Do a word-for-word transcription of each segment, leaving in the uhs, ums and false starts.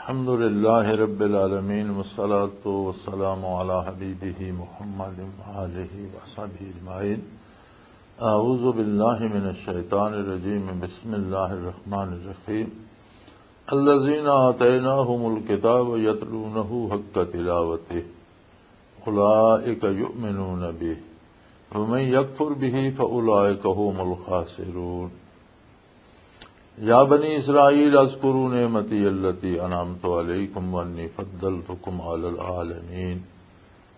الحمد لله رب العالمين، والصلاة والسلام على حبيبه محمد وآله وصحبه أجمعين. أعوذ بالله من الشيطان الرجيم. بسم الله الرحمن الرحيم. الذين آتيناهم الكتاب يتلونه حق تلاوته أولئك يؤمنون به ومن يكفر به فأولئك هم الخاسرون. يا بني إسرائيل اذكروا نعمتي التي أنعمت عليكم وأني فضلتكم على العالمين.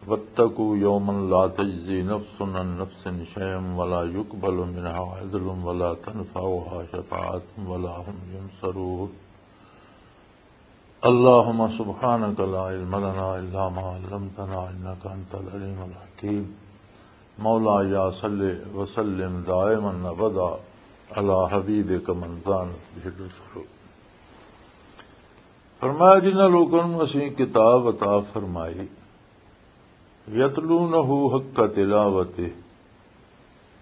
واتقوا يوما لا تجزي نفس عن نفس شيئا ولا يقبل منها عدل ولا تنفعها شفاعة ولا هم ينصرون. اللهم سبحانك لا علم لنا إلا ما علمتنا إنك أنت العليم الحكيم. مولاي صل وسلم دائما أبدا على حبيبك من زانت به الرسل. فرمایا، جنہاں لوکاں نوں اسیں کتاب عطا فرمائی، یتلونہ حق تلاوتہ،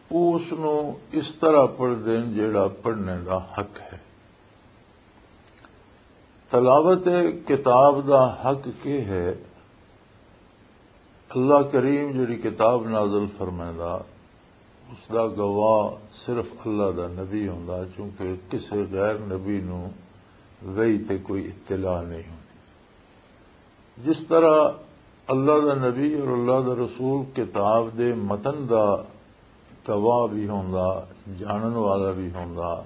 وہ اس نوں اس طرح پڑھ دین جیڑا پڑھنے دا حق ہے۔ تلاوت کتاب دا حق کی ہے؟ اللہ کریم جڑی کتاب نازل فرمائندا، اس دا گواہ صرف اللہ دا نبی ہوندا، چونکہ کسے غیر نبی نوں وحی تے کوئی اطلاع نہیں ہوندی۔ جس طرح اللہ دا نبی اور اللہ دا رسول کتاب دے متن دا گواہ بھی ہوندا، جانن والا بھی ہوندا،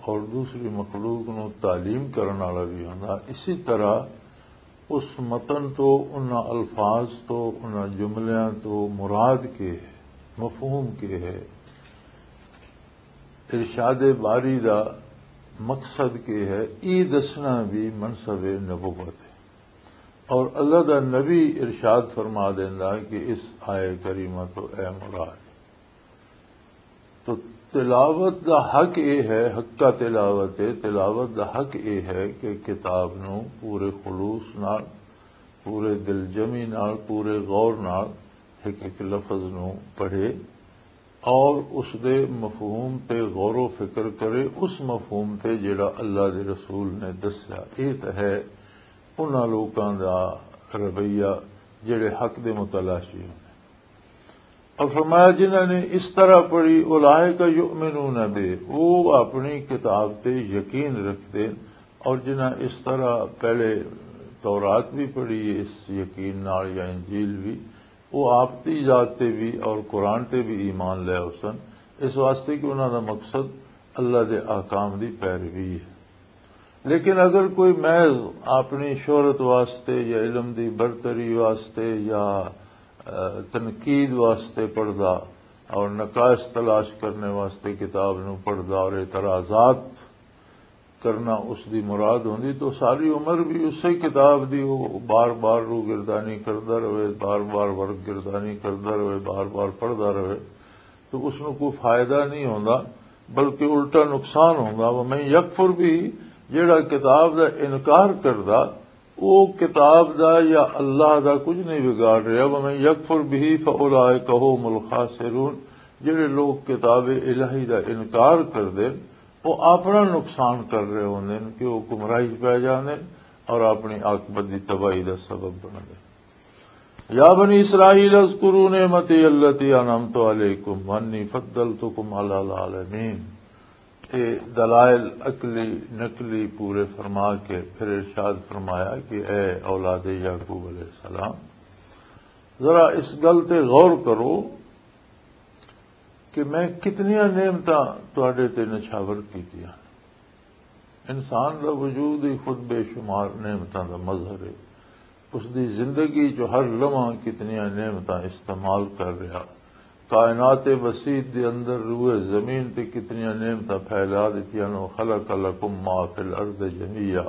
اور دوسری مخلوق نو تعلیم کرن والا بھی ہوندا، اسی طرح اس متن تو، انہاں الفاظ تو، انہاں جملیاں تو مراد کے ہے، مفہوم کے ہے، ارشاد باری دا مقصد کے ہے، یہ دسنا بھی منصب نبوت ہے۔ اور اللہ دا نبی ارشاد فرما دیندا کہ اس آئے کریمہ تو اے مراد۔ تو تلاوت دا حق اے ہے، حق کا تلاوت ہے، تلاوت دا حق اے ہے کہ کتاب نو پورے خلوص نال، پورے دل جمی نال، پورے غور نال ایک ایک لفظ نو پڑھے اور اس دے مفہوم تے غور و فکر کرے، اس مفہوم تے جڑا اللہ دے رسول نے دسیا۔ یہ تو ہے انہاں لوکاں دا رویہ جڑے حق دے متلاشی ہوندے۔ اور فرمایا، جنہاں نے اس طرح پڑھی، اولئک یؤمنون بہ، وہ اپنی کتاب تے یقین رکھتے۔ اور جنہاں اس طرح پہلے تورات بھی پڑھی ہے اس یقین نال یا انجیل بھی، وہ آپ دی ذات تے بھی اور قرآن تے بھی ایمان لے ہوسن، اس واسطے کہ انہاں دا مقصد اللہ دے احکام دی پیروی ہے۔ لیکن اگر کوئی محض اپنی شہرت واسطے یا علم دی برتری واسطے یا، آ، تنقید واسطے پڑھدا اور نقائص تلاش کرنے واسطے کتاب نو پڑھدا اور اعتراضات کرنا اس دی مراد ہوندی، تو ساری عمر بھی اسے کتاب دی وہ بار بار روگردانی کردا رہے، بار بار ورگردانی کردا رہے، بار بار پڑھدا رہے، تو اس نو کوئی فائدہ نہیں ہوندا، بلکہ الٹا نقصان ہوندا۔ ومن یکفر بھی، جیڑا کتاب دا انکار کردا، او کتاب دا یا اللہ دا کچھ نہیں بگاڑ رہا۔ ومن یکفر بھی فاولئک هم الخاسرون، جڑے لوگ کتاب الہی دا انکار کر دین، وہ اپنا نقصان کر رہے ہوندے نے کہ وہ گمراہی پہ جاندے نے اور اپنی عاقبت دی تباہی دا سبب بن گئے۔ یا بنی اسرائیل اذکروا نعمتی التی انعمت علیکم وانی فضلتکم علی العالمین۔ اے دلائل عقلی نقلی پورے فرما کے پھر ارشاد فرمایا کہ اے اولاد یعقوب علیہ السلام، ذرا اس گل تے غور کرو کہ میں کتنیاں نعمتاں تواڈے تے نچھاور کیتیاں۔ انسان دا وجود ہی خود بے شمار نعمتاں دا مظہر ہے۔ اس دی زندگی چ ہر لمحہ کتنیاں نعمتاں استعمال کر رہا۔ کائنات وسیع دے اندر روئے زمین تے کتنیاں نعمتاں پھیلا دتیاں نو۔ خلق لکم ما فی الارض جمیعا۔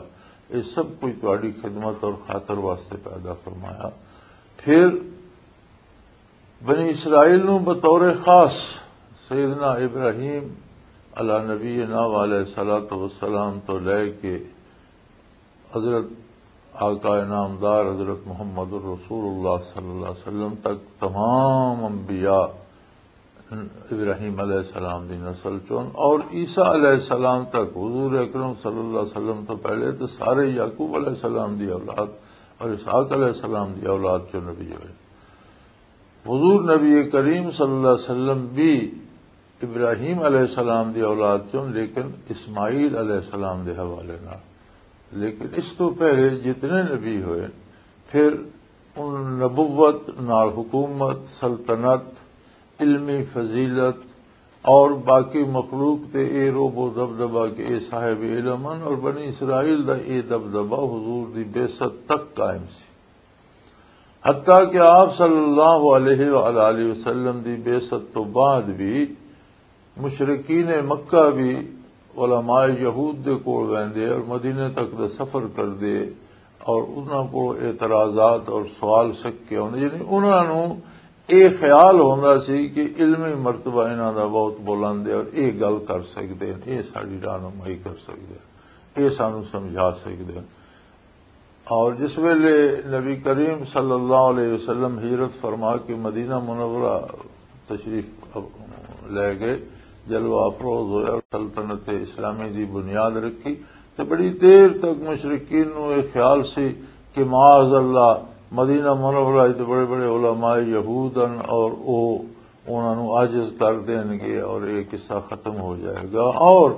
یہ سب کچھ تہاڈی خدمت اور خاطر واسطے پیدا فرمایا۔ پھر بنی اسرائیل نو بطور خاص سیدنا ابراہیم علی نبینا و علیہ الصلوۃ والسلام تو لے کے حضرت آقا نامدار حضرت محمد الرسول اللہ صلی اللہ علیہ وسلم تک تمام انبیاء ابراہیم علیہ السلام دی نسل چون، اور عیسیٰ علیہ السلام تک، حضور اکرم صلی اللہ علیہ وسلم تو پہلے تو سارے یعقوب علیہ السلام دی اولاد اور اسحاق علیہ السلام دی اولاد چوں نبی ہوئے۔ حضور نبی کریم صلی اللہ علیہ وسلم بھی ابراہیم علیہ السلام دی اولاد چوں، لیکن اسماعیل علیہ السلام دے حوالے نال۔ لیکن اس تو پہلے جتنے نبی ہوئے، پھر ان نبوت نال حکومت، سلطنت، علمی فضیلت اور باقی مخلوق تے اے روب و دبدبہ کہ اے صاحب علم ہن، اور بنی اسرائیل دا اے دبدبہ حضور دی بعثت تک قائم سی۔ حتیٰ کہ آپ صلی اللہ علیہ وآلہ وسلم دی بعثت تو بعد بھی مشرکین مکہ بھی علماء یہود دے کول ویندے اور مدینے تک دا سفر کردے، اور انہاں کول اعتراضات اور سوال سک کے ہوندے، یعنی انہاں نوں اے خیال ہوندا سی کہ علمی مرتبہ انہاں دا بہت بلند ہے اور اے گل کر سکدے ہیں، اے ساڈی رہنمائی کر سکدے ہیں، اے سانوں سمجھا سکدے ہیں۔ اور جس ویلے نبی کریم صلی اللہ علیہ وسلم ہجرت فرما کے مدینہ منورہ تشریف لے گئے، جلوہ افروز ہوئے اور سلطنت اسلامی دی بنیاد رکھی، تے بڑی دیر تک مشرکین نوں یہ خیال سی کہ معاذ اللہ، مدینہ منورہ وچ بڑے بڑے علماء یہود ہن اور او انہاں نوں عاجز کر دین گے اور یہ قصہ ختم ہو جائے گا۔ اور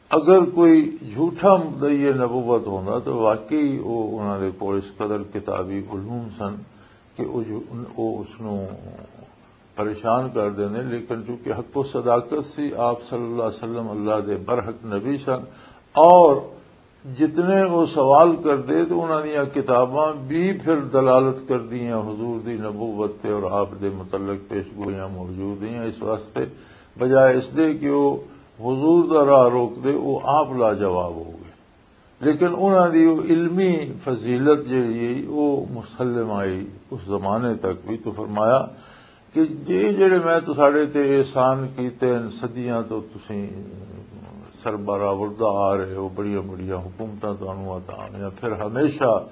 اگر کوئی جھوٹا مدعی نبوت ہوندا تو واقعی وہ انہاں دے کول اس قدر کتابی علوم سن کہ وہ جو-، وہ اس نوں پریشان کر دیندے۔ لیکن چونکہ حق و صداقت سی، آپ صلی اللہ علیہ وسلم اللہ دے برحق نبی سن، اور جتنے وہ سوال کردے تو انہاں دیاں کتاباں بھی پھر دلالت کردیاں حضور دی نبوت تے اور آپ دے متعلق پیش گوئیاں موجود ہیں۔ اس واسطے بجائے اس دے کہ وہ حضور دا راہ روک دے، وہ آپ لاجواب ہو گئے۔ لیکن انہاں دی وہ علمی فضیلت جڑی ہے، وہ مسلم آئی اس زمانے تک بھی۔ تو فرمایا کہ جے جڑے میں تساڈے تے احسان کیتے ہیں، صدیاں تو تسیں سربراہ وردا آ رہے ہو، بڑیاں بڑیاں حکومتاں تانوں عطا ہوئیاں، پھر ہمیشہ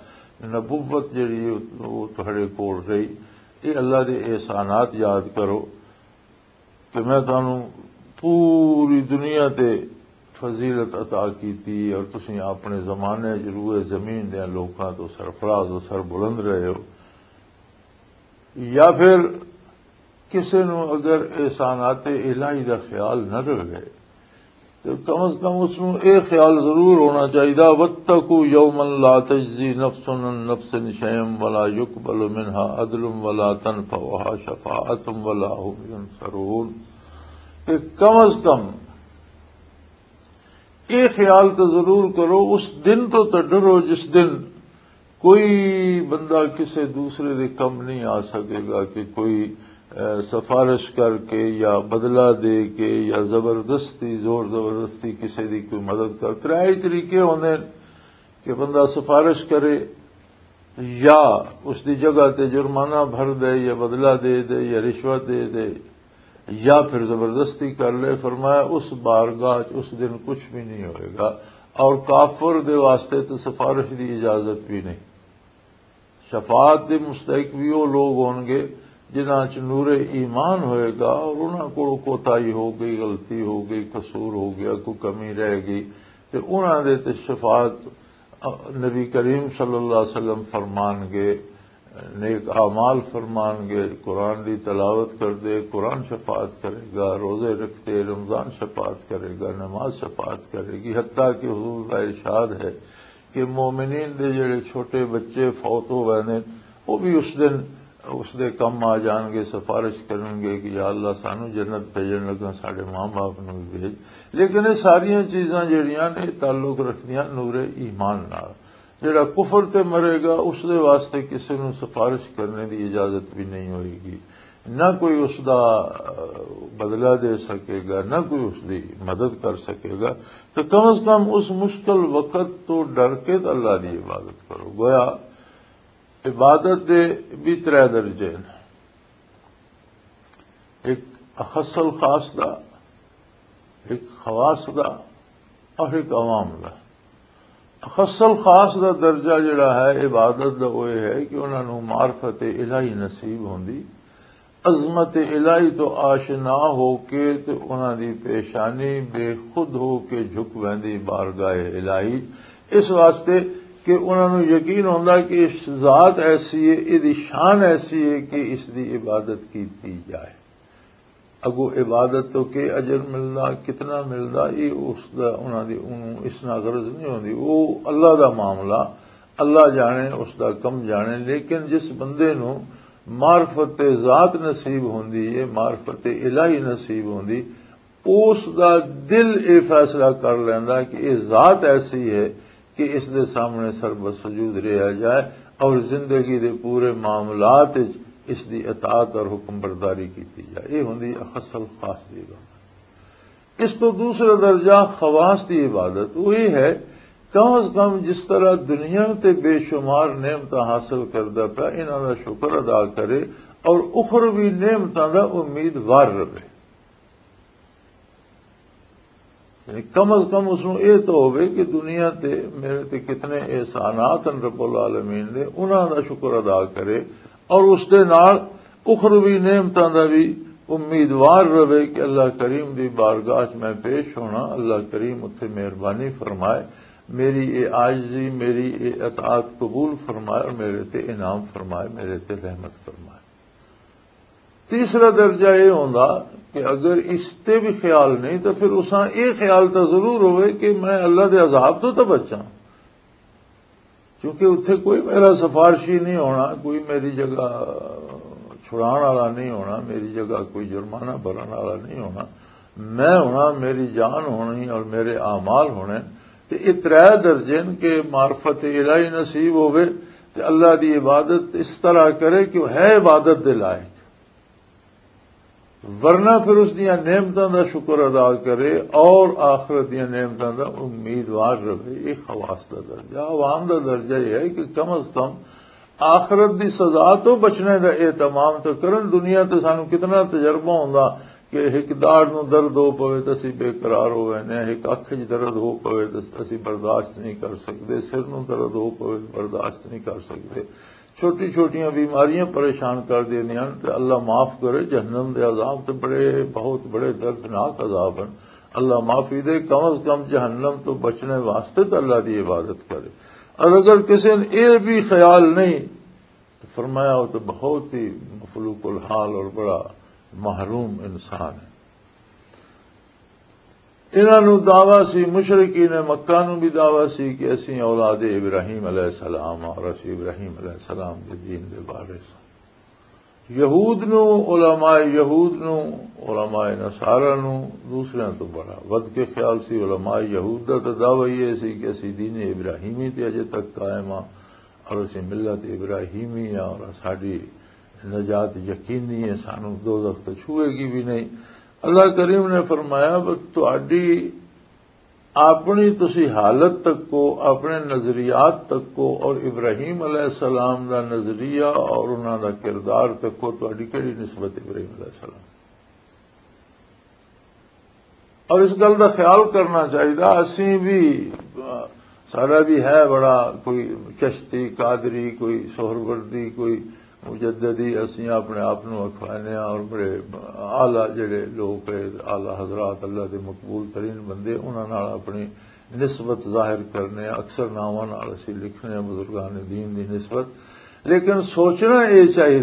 نبوت جڑی ہے، وہ تہاڈے کول رہی۔ یہ اللہ دے احسانات یاد کرو۔ کہ میں تانوں پوری دنیا تے فضیلت عطا کیتی اور تسیں اپنے زمانے چ روئے زمین دے لوکاں تو سرفراز و سر بلند رہے ہو۔ یا پھر کسے نوں اگر احسانات الہی دا خیال نہ رہے، تو کم از کم اس نوں اے خیال ضرور ہونا چاہیے، "واتقوا یوما لا تجزی نفس عن نفس شیئا ولا یقبل منها عدل ولا تنفعها شفاعت ولا هم ینصرون۔" کہ کم از کم اے خیال تو ضرور کرو، اس دن تو تو ڈرو جس دن کوئی بندہ کسے دوسرے دے کم نہیں آ سکے گا، کہ کوئی، اے، سفارش کر کے یا بدلہ دے کے یا زبردستی، زور زبردستی کسے دی کوئی مدد کر۔ ترے ہی طریقے ہوندے نے کہ بندہ سفارش کرے یا اس دی جگہ تے جرمانہ بھر دے یا بدلہ دے دے یا رشوت دے دے یا پھر زبردستی کر لے۔ فرمایا، اس بارگاہ چ اس دن کچھ بھی نہیں ہوئے گا، اور کافر دے واسطے تو سفارش دی اجازت بھی نہیں۔ شفاعت دے مستحق بھی وہ لوگ ہون گے جنہاں چ نور ایمان ہوئے گا اور انہاں کو کوتاہی ہو گئی، غلطی ہو گئی، قصور ہو گیا، کوئی کمی رہ گئی، تے انہاں دے تے شفاعت نبی کریم صلی اللہ علیہ وسلم فرمان گے، نیک اعمال فرمان گے، قرآن دی تلاوت کر دے، قرآن شفاعت کرے گا، روزے رکھتے رمضان شفاعت کرے گا، نماز شفاعت کرے گی، حتیٰ کہ حضور کا ارشاد ہے کہ مومنین دے جڑے چھوٹے بچے فوت ہو گئے نے، وہ بھی اس دن اس دے کم آ جان گے، سفارش کرن گے کہ یا اللہ، سانو جنت بھیجن لگا، ساڈے ماں باپ نو بھی بھیج۔ لیکن یہ ساریاں چیزاں جڑیاں نے، تعلق رکھدیاں نور ایمان نال۔ جڑا کفر تے مرے گا، اس دے واسطے کسی نو سفارش کرنے دی اجازت بھی نہیں ہوئے گی، نہ کوئی اس دا، آ، بدلہ دے سکے گا، نہ کوئی اس دی مدد کر سکے گا۔ تو کم از کم اس مشکل وقت تو ڈر کے تو اللہ دی عبادت کرو۔ گویا عبادت دے بھی ترے درجے نے، ایک اخص الخاص دا، ایک خواص دا، اور ایک عوام دا۔ اخص الخاص دا درجہ جڑا ہے عبادت دا، وہ یہ ہے کہ انہاں نوں معرفت الہی نصیب ہوندی، عظمت الہی تو آشنا ہو کے تے انہاں دی پیشانی بے خود ہو کے جھک ویندی بارگاہ الہی، اس واسطے کہ انہاں نوں یقین ہوندا کہ اس ذات ایسی ہے، اس دی شان ایسی ہے کہ اس دی عبادت کیتی جائے۔ اگو عبادت تو کہ اجر ملدا، کتنا ملدا، یہ اس دا، انہاں دی، انہوں اس نال غرض نہیں ہوندی۔ وہ اللہ دا معاملہ، اللہ جانے، اس دا کم جانے۔ لیکن جس بندے نوں معرفت ذات نصیب ہوندی ہے، معرفت الہی نصیب ہوندی، اس دا دل یہ فیصلہ کر لیندا کہ یہ ذات ایسی ہے کہ اس دے سامنے سر بسجود رہا جائے اور زندگی دے پورے معاملات وچ اس دی اطاعت اور حکم برداری کیتی جائے۔ یہ ہوندی اخص الخاص دی عبادت۔ اس تو دوسرا درجہ خواص دی عبادت وہ یہ ہے، کم از کم جس طرح دنیا تے بے شمار نعمتاں حاصل کردا پیا، انہاں دا شکر ادا کرے اور اخروی نعمتاں دا امیدوار رہے۔ یعنی کم از کم اس نوں یہ تو ہوئے کہ دنیا تے میرے تے کتنے احسانات ہیں رب العالمین دے، انہاں دا شکر ادا کرے اور اس دے نال اخروی نعمتاں دا بھی امیدوار رہے کہ اللہ کریم دی بارگاہ چ میں پیش ہونا، اللہ کریم اتھے مہربانی فرمائے، میری اے عاجزی، میری اے اطاعت قبول فرمائے اور میرے تے انعام فرمائے، میرے تے رحمت فرمائے۔ تیسرا درجہ یہ ہوندا کہ اگر اس تے بھی خیال نہیں تو پھر اساں یہ خیال تو ضرور ہوئے کہ میں اللہ دے عذاب تو تو بچاں، کیونکہ اتھے کوئی میرا سفارشی نہیں ہونا، کوئی میری جگہ چھڑان والا نہیں ہونا، میری جگہ کوئی جرمانہ بھرن والا نہیں ہونا۔ میں ہونا، میری جان ہونی اور میرے اعمال ہونے۔ تے یہ ترے درجے نے کہ معرفت الہی نصیب ہوئے تے اللہ دی عبادت اس طرح کرے کہ وہ ہے عبادت دے لائق۔ ورنہ پھر اس دیاں نعمتاں دا شکر ادا کرے اور آخرت دیاں نعمتاں دا امیدوار رہے۔ یہ خواص دا درجہ، عوام دا درجہ یہ ہے کہ کم از کم آخرت دی سزا تو بچنے دا اہتمام تو کرن۔ دنیا تے سانو کتنا تجربہ ہوندا کہ ایک داڑ نو درد ہو پوے تے اسی بے قرار ہو وینے، ایک اکھ وچ درد ہو پوے تے اسی برداشت نہیں کر سکدے، سر نو درد ہو پوے برداشت نہیں کر سکدے۔ چھوٹی چھوٹیاں بیماریاں پریشان کر دیندیاں نے تے اللہ معاف کرے، جہنم دے عذاب تے بڑے، بہت بڑے دردناک عذاب ہیں۔ اللہ معافی دے، کم از کم جہنم تو بچنے واسطے تے اللہ دی عبادت کرے۔ اور اگر کسی نے یہ بھی خیال نہیں تو فرمایا وہ تو بہت ہی مفلوق الحال اور بڑا محروم انسان ہے۔ انہاں نوں دعویٰ سی، مشرکین مکہ نوں بھی دعویٰ سی کہ اسی اولاد ابراہیم علیہ السلام اور اسی ابراہیم علیہ السلام دے دین دے وارث ہاں۔ یہود نوں، علماء یہود نوں، علماء نصارہ نوں دوسریاں تو بڑا ود کے خیال سی۔ علماء یہود دا تو دعویٰ یہ سی کہ اسی دین ابراہیمی تے اجے تک قائم ہاں اور اسی ملت ابراہیمی ہاں اور ساڈی نجات یقینی ہے، سانو دوزخ تو چھوئے گی بھی نہیں۔ اللہ کریم نے فرمایا، "بس تہاڈی اپنی تسی حالت تک کو، اپنے نظریات تک کو اور ابراہیم علیہ السلام دا نظریہ اور انہاں دا کردار تک کو تہاڈی کیڑی نسبت ابراہیم علیہ السلام؟" اور اس گل دا خیال کرنا چاہیے، اسی بھی، سارا بھی ہے بڑا کوئی چشتی، قادری، کوئی سہروردی، کوئی مجددی، اسی اپنے آپ نو اکھوانے ہاں اور بڑے اعلیٰ جڑے لوگ ہیں، اعلیٰ حضرات، اللہ دے مقبول ترین بندے، انہاں نال اپنی نسبت ظاہر کرنے ہاں، اکثر ناواں نال اسی لکھنے ہاں بزرگان دین دی نسبت۔ لیکن سوچنا یہ چاہیے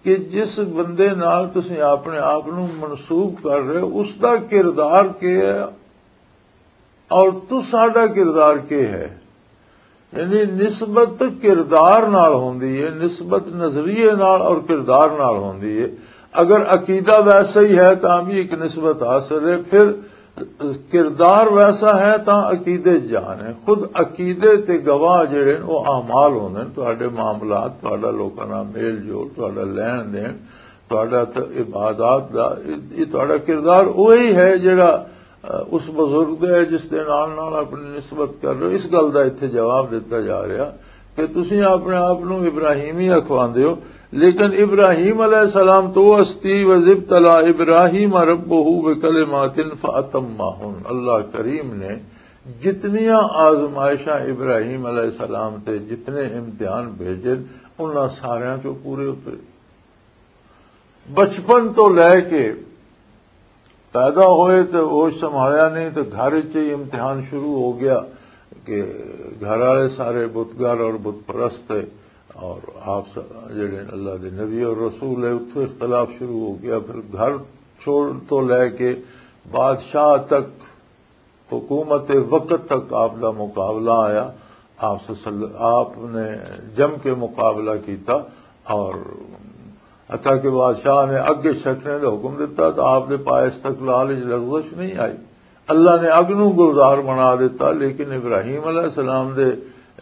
کہ جس بندے نال تسی اپنے آپ نو منسوب کر رہے ہو، اس دا کردار کی ہے اور تساڈا کردار کی ہے؟ یعنی نسبت کردار نال ہوندی ہے، نسبت نظریے نال اور کردار نال ہوندی ہے۔ اگر عقیدہ ویسا ہی ہے تاں بھی ایک نسبت حاصل ہے، پھر کردار ویسا ہے تاں عقیدے جان ہے۔ خود عقیدے تے گواہ جڑے نے، وہ اعمال ہوندے نے، تہاڈے معاملات، تہاڈا لوکاں نال میل جول، تہاڈا لین دین، تہاڈا ت-، عبادات دا، یہ تہاڈا کردار وہی ہے جڑا، اہ، اس بزرگ دا ہے جس دے نال نال اپنی نسبت کر رہے ہو۔ اس گل دا اتھے جواب دتا جا رہا کہ تسی اپنے آپ نو ابراہیمی اکھواندے ہو، لیکن ابراہیم علیہ السلام تو ہستی، "وَإِذِ ابْتَلَىٰ إِبْرَاهِيمَ رَبُّهُ بِكَلِمَاتٍ فَأَتَمَّهُنَّ۔" اللہ کریم نے جتنیاں آزمائشاں ابراہیم علیہ السلام تے جتنے امتحان بھیجے، انہاں ساریاں چوں پورے اترے۔ بچپن تو لے کے پیدا ہوئے تو ہوش سنبھالیا نہیں، تو گھر وچ ہی امتحان شروع ہو گیا کہ گھر والے سارے بتگر اور بت پرست ہے، اور آپ س-، جڑے اللہ دے نبی اور رسول ہے، اتھوں اختلاف شروع ہو گیا۔ پھر گھر چھوڑ تو لے کے بادشاہ تک، حکومت وقت تک آپ دا مقابلہ آیا۔ آپ صلی-، آپ نے جم کے مقابلہ کیتا، اور حتیٰ کہ بادشاہ نے اگ سٹنے دا حکم دیتا تو آپ دے پائے استقلال وچ لغزش نہیں آئی۔ اللہ نے اگ نوں گلزار بنا دیتا، لیکن ابراہیم علیہ السلام دے،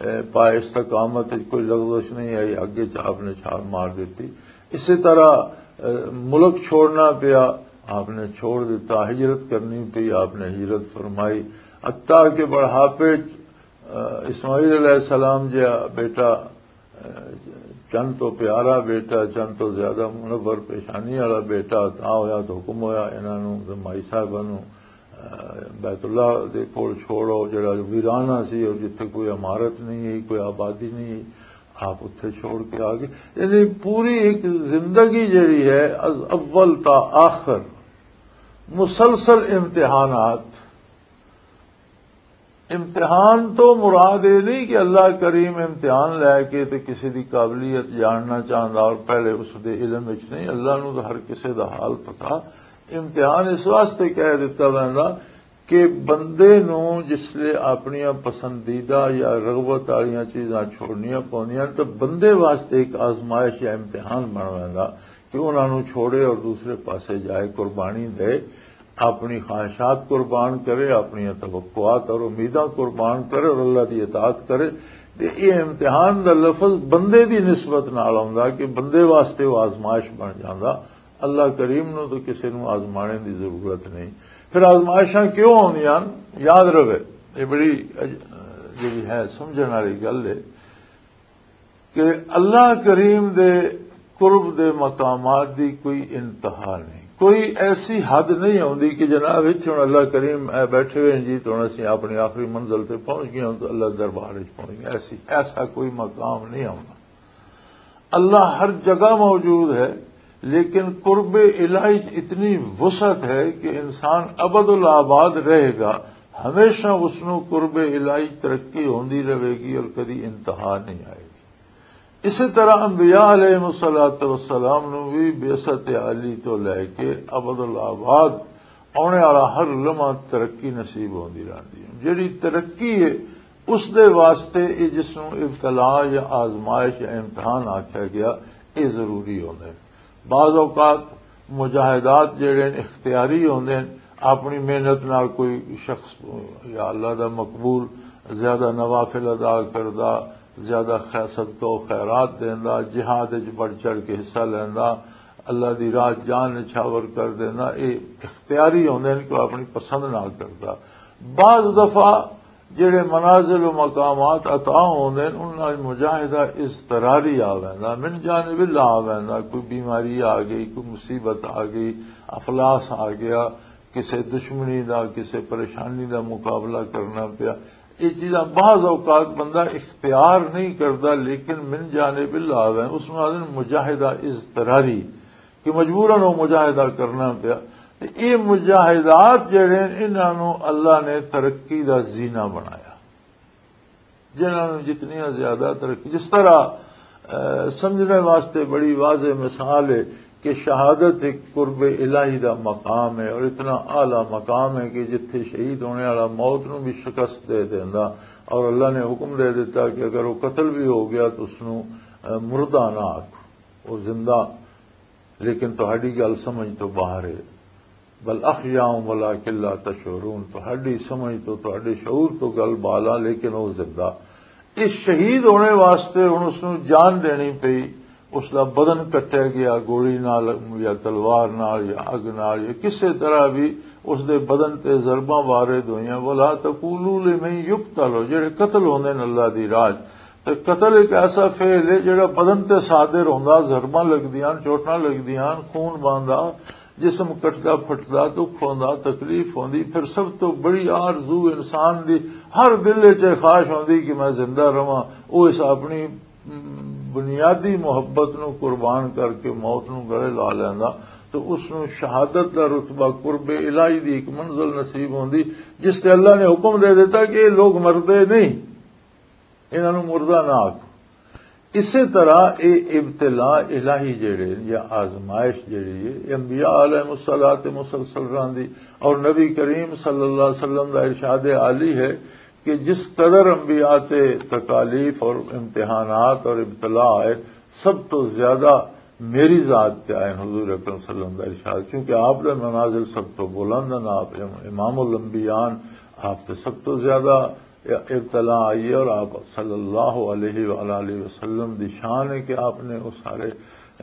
اے، پائے استقامت وچ کوئی لغزش نہیں آئی، اگ وچ آپ نے چھال مار دیتی۔ اسی طرح، اے، ملک چھوڑنا پیا، آپ نے چھوڑ دیتا، ہجرت کرنی پئی، آپ نے ہجرت فرمائی۔ حتیٰ کہ بڑھاپے وچ، اے، اسماعیل علیہ السلام جہا بیٹا، چند تو پیارا بیٹا، چند تو زیادہ منور پیشانی والا بیٹا، تاں ہویا تو حکم ہویا انہاں نوں، تے مائی صاحبہ نوں، اے، بیت اللہ دے کول چھوڑو، جڑا ویرانہ سی اور جتھے کوئی عمارت نہیں ہے، کوئی آبادی نہیں ہے، آپ اتھے چھوڑ کے آ گئے۔ یعنی پوری ایک زندگی جڑی ہے، از اول تا آخر مسلسل امتحانات۔ امتحان تو مراد یہ نہیں کہ اللہ کریم امتحان لے کے تے کسی دی قابلیت جاننا چاہندا اور پہلے اس دے علم وچ نہیں۔ اللہ نوں تو ہر کسی دا حال پتا۔ امتحان اس واسطے کہہ دتا ویندا کہ بندے نوں جس لے اپنیاں پسندیدہ یا رغبت والیاں چیزاں چھوڑنیاں پوندیاں، تو بندے واسطے ایک آزمائش یا امتحان بن ویندا کہ انہاں نوں چھوڑے اور دوسرے پاسے جائے، قربانی دے، اپنی خواہشات قربان کرے، اپنی توقعات اور امیداں قربان کرے اور اللہ دی اطاعت کرے۔ تے یہ امتحان دا لفظ بندے دی نسبت نال آوندا کہ بندے واسطے وہ آزمائش بن جاندا۔ اللہ کریم نوں تو کسے نوں آزمانے دی ضرورت نہیں۔ پھر آزمائشاں کیوں آوندیاں؟ یاد رہے، یہ بڑی اج-، جڑی ہے سمجھن والی گل ہے۔ کہ اللہ کریم دے قرب دے مقامات دی کوئی انتہا نہیں، کوئی ایسی حد نہیں ہوندی کہ جناب، اتھے ہن اللہ کریم اے بیٹھے ہوئے ہیں جی، تو ہن اسی اپنی آخری منزل تے پہنچ گئے ہوں، تو اللہ دربار وچ پہنچ گئے۔ ایسی، ایسا کوئی مقام نہیں ہوندا۔ اللہ ہر جگہ موجود ہے، لیکن قرب الہی چ اتنی وسعت ہے کہ انسان ابد الآباد رہے گا، ہمیشہ اس نوں قرب الہی ترقی ہوندی رہے گی اور کدی انتہا نہیں آئے گی۔ اسی طرح انبیاء علیہ الصلوۃ والسلام نوں بھی بعثت عالی تو لے کے ابد الآباد آنے والا ہر لمحہ ترقی نصیب ہوندی رہندی ہے۔ جڑی ترقی ہے، اس دے واسطے یہ جس نوں ابتلا یا آزمائش یا امتحان آکھیا گیا، یہ ضروری ہوندے۔ بعض اوقات مجاہدات جڑے نے اختیاری ہوندے نے، اپنی محنت نال کوئی شخص یا اللہ دا مقبول زیادہ نوافل ادا کردا، زیادہ خیر صدقہ و خیرات دیندا، جہاد وچ بڑھ چڑھ کے حصہ لیندا، اللہ دی راہ جان نچھاور کر دیندا، اے اختیاری ہوندے نے کہ وہ اپنی پسند نال کردا۔ بعض دفعہ جڑے منازل و مقامات عطا ہوندے نے، انہاں وچ مجاہدہ اضطراری آ ویندا، من جانب اللہ آ ویندا، کوئی بیماری آ گئی، کوئی مصیبت آ گئی، افلاس آ گیا، کسے دشمنی دا، کسے پریشانی دا مقابلہ کرنا پیا۔ یہ چیزاں بعض اوقات بندہ اختیار نہیں کردا، لیکن من جانب اللہ آ ویندا، اس نوں آدھے نے مجاہدہ اضطراری۔ کہ مجبوراً وہ مجاہدہ کرنا پیا۔ تے اے مجاہدات جڑے نے، انہاں نوں اللہ نے ترقی دا زینہ بنایا، جنہاں نوں جتنیاں زیادہ ترقی، جس طرح، اے، سمجھنے واسطے بڑی واضح مثال ہے کہ شہادت ایک قرب الہی دا مقام ہے اور اتنا اعلیٰ مقام ہے کہ جتھے شہید ہونے والا موت نوں بھی شکست دے دیندا، اور اللہ نے حکم دے دیتا کہ اگر وہ قتل بھی ہو گیا تو اس نوں، اے، مردہ نہ آکھو، وہ زندہ۔ لیکن تہاڈی گل سمجھ تو باہر ہے۔ بل احیاء ولکن لا تشعرون، تہاڈی سمجھ تو، تہاڈے شعور تو گل بالا، لیکن وہ زندہ۔ اس شہید ہونے واسطے ہن اس نوں جان دینی پئی، اس دا بدن کٹیا گیا گولی نال یا تلوار نال یا اگ نال یا کسے طرح بھی اس دے بدن تے ضرباں وارد ہوئیاں۔ ولا تقولوا لمن یقتل، جڑے قتل ہوندے نے اللہ دی راہ چ، تے قتل ایک ایسا فعل ہے جڑا بدن تے صادر ہوندا، ضرباں لگدیاں، چوٹاں لگدیاں، خون بہندا، جسم کٹدا پھٹدا، دکھ ہوندا، تکلیف ہوندی۔ پھر سب تو بڑی آرزو انسان دی ہر دل وچ خواہش ہوندی کہ میں زندہ رہواں۔ او اس اپنی بنیادی محبت نو قربان کر کے موت نو گلے لا لیندا، تو اس نو شہادت دا رتبہ، قرب الہی دی ایک منزل نصیب ہوندی، جس تے اللہ نے حکم دے دیتا کہ یہ لوگ مردے نہیں، انہاں نو مردہ نہ آکھو۔ اسی طرح یہ ابتلا الہی جڑے یا آزمائش جڑی ہے، یہ انبیاء علیہ الصلوۃ مسلسل رہندی۔ اور نبی کریم صلی اللہ علیہ وسلم دا ارشاد عالی ہے کہ جس قدر انبیاء تے تکالیف اور امتحانات اور ابتلا آئے، سب تو زیادہ میری ذات تے آئے، حضور اکرم صلی اللہ علیہ وسلم دا ارشاد، کیونکہ آپ دے منازل سب تو بلند ہیں، آپ امام الانبیاء ہیں، آپ تے سب تو زیادہ ابتلا آئی ہے، اور آپ صلی اللہ علیہ وآلہ وسلم دی شان ہے کہ آپ نے وہ سارے،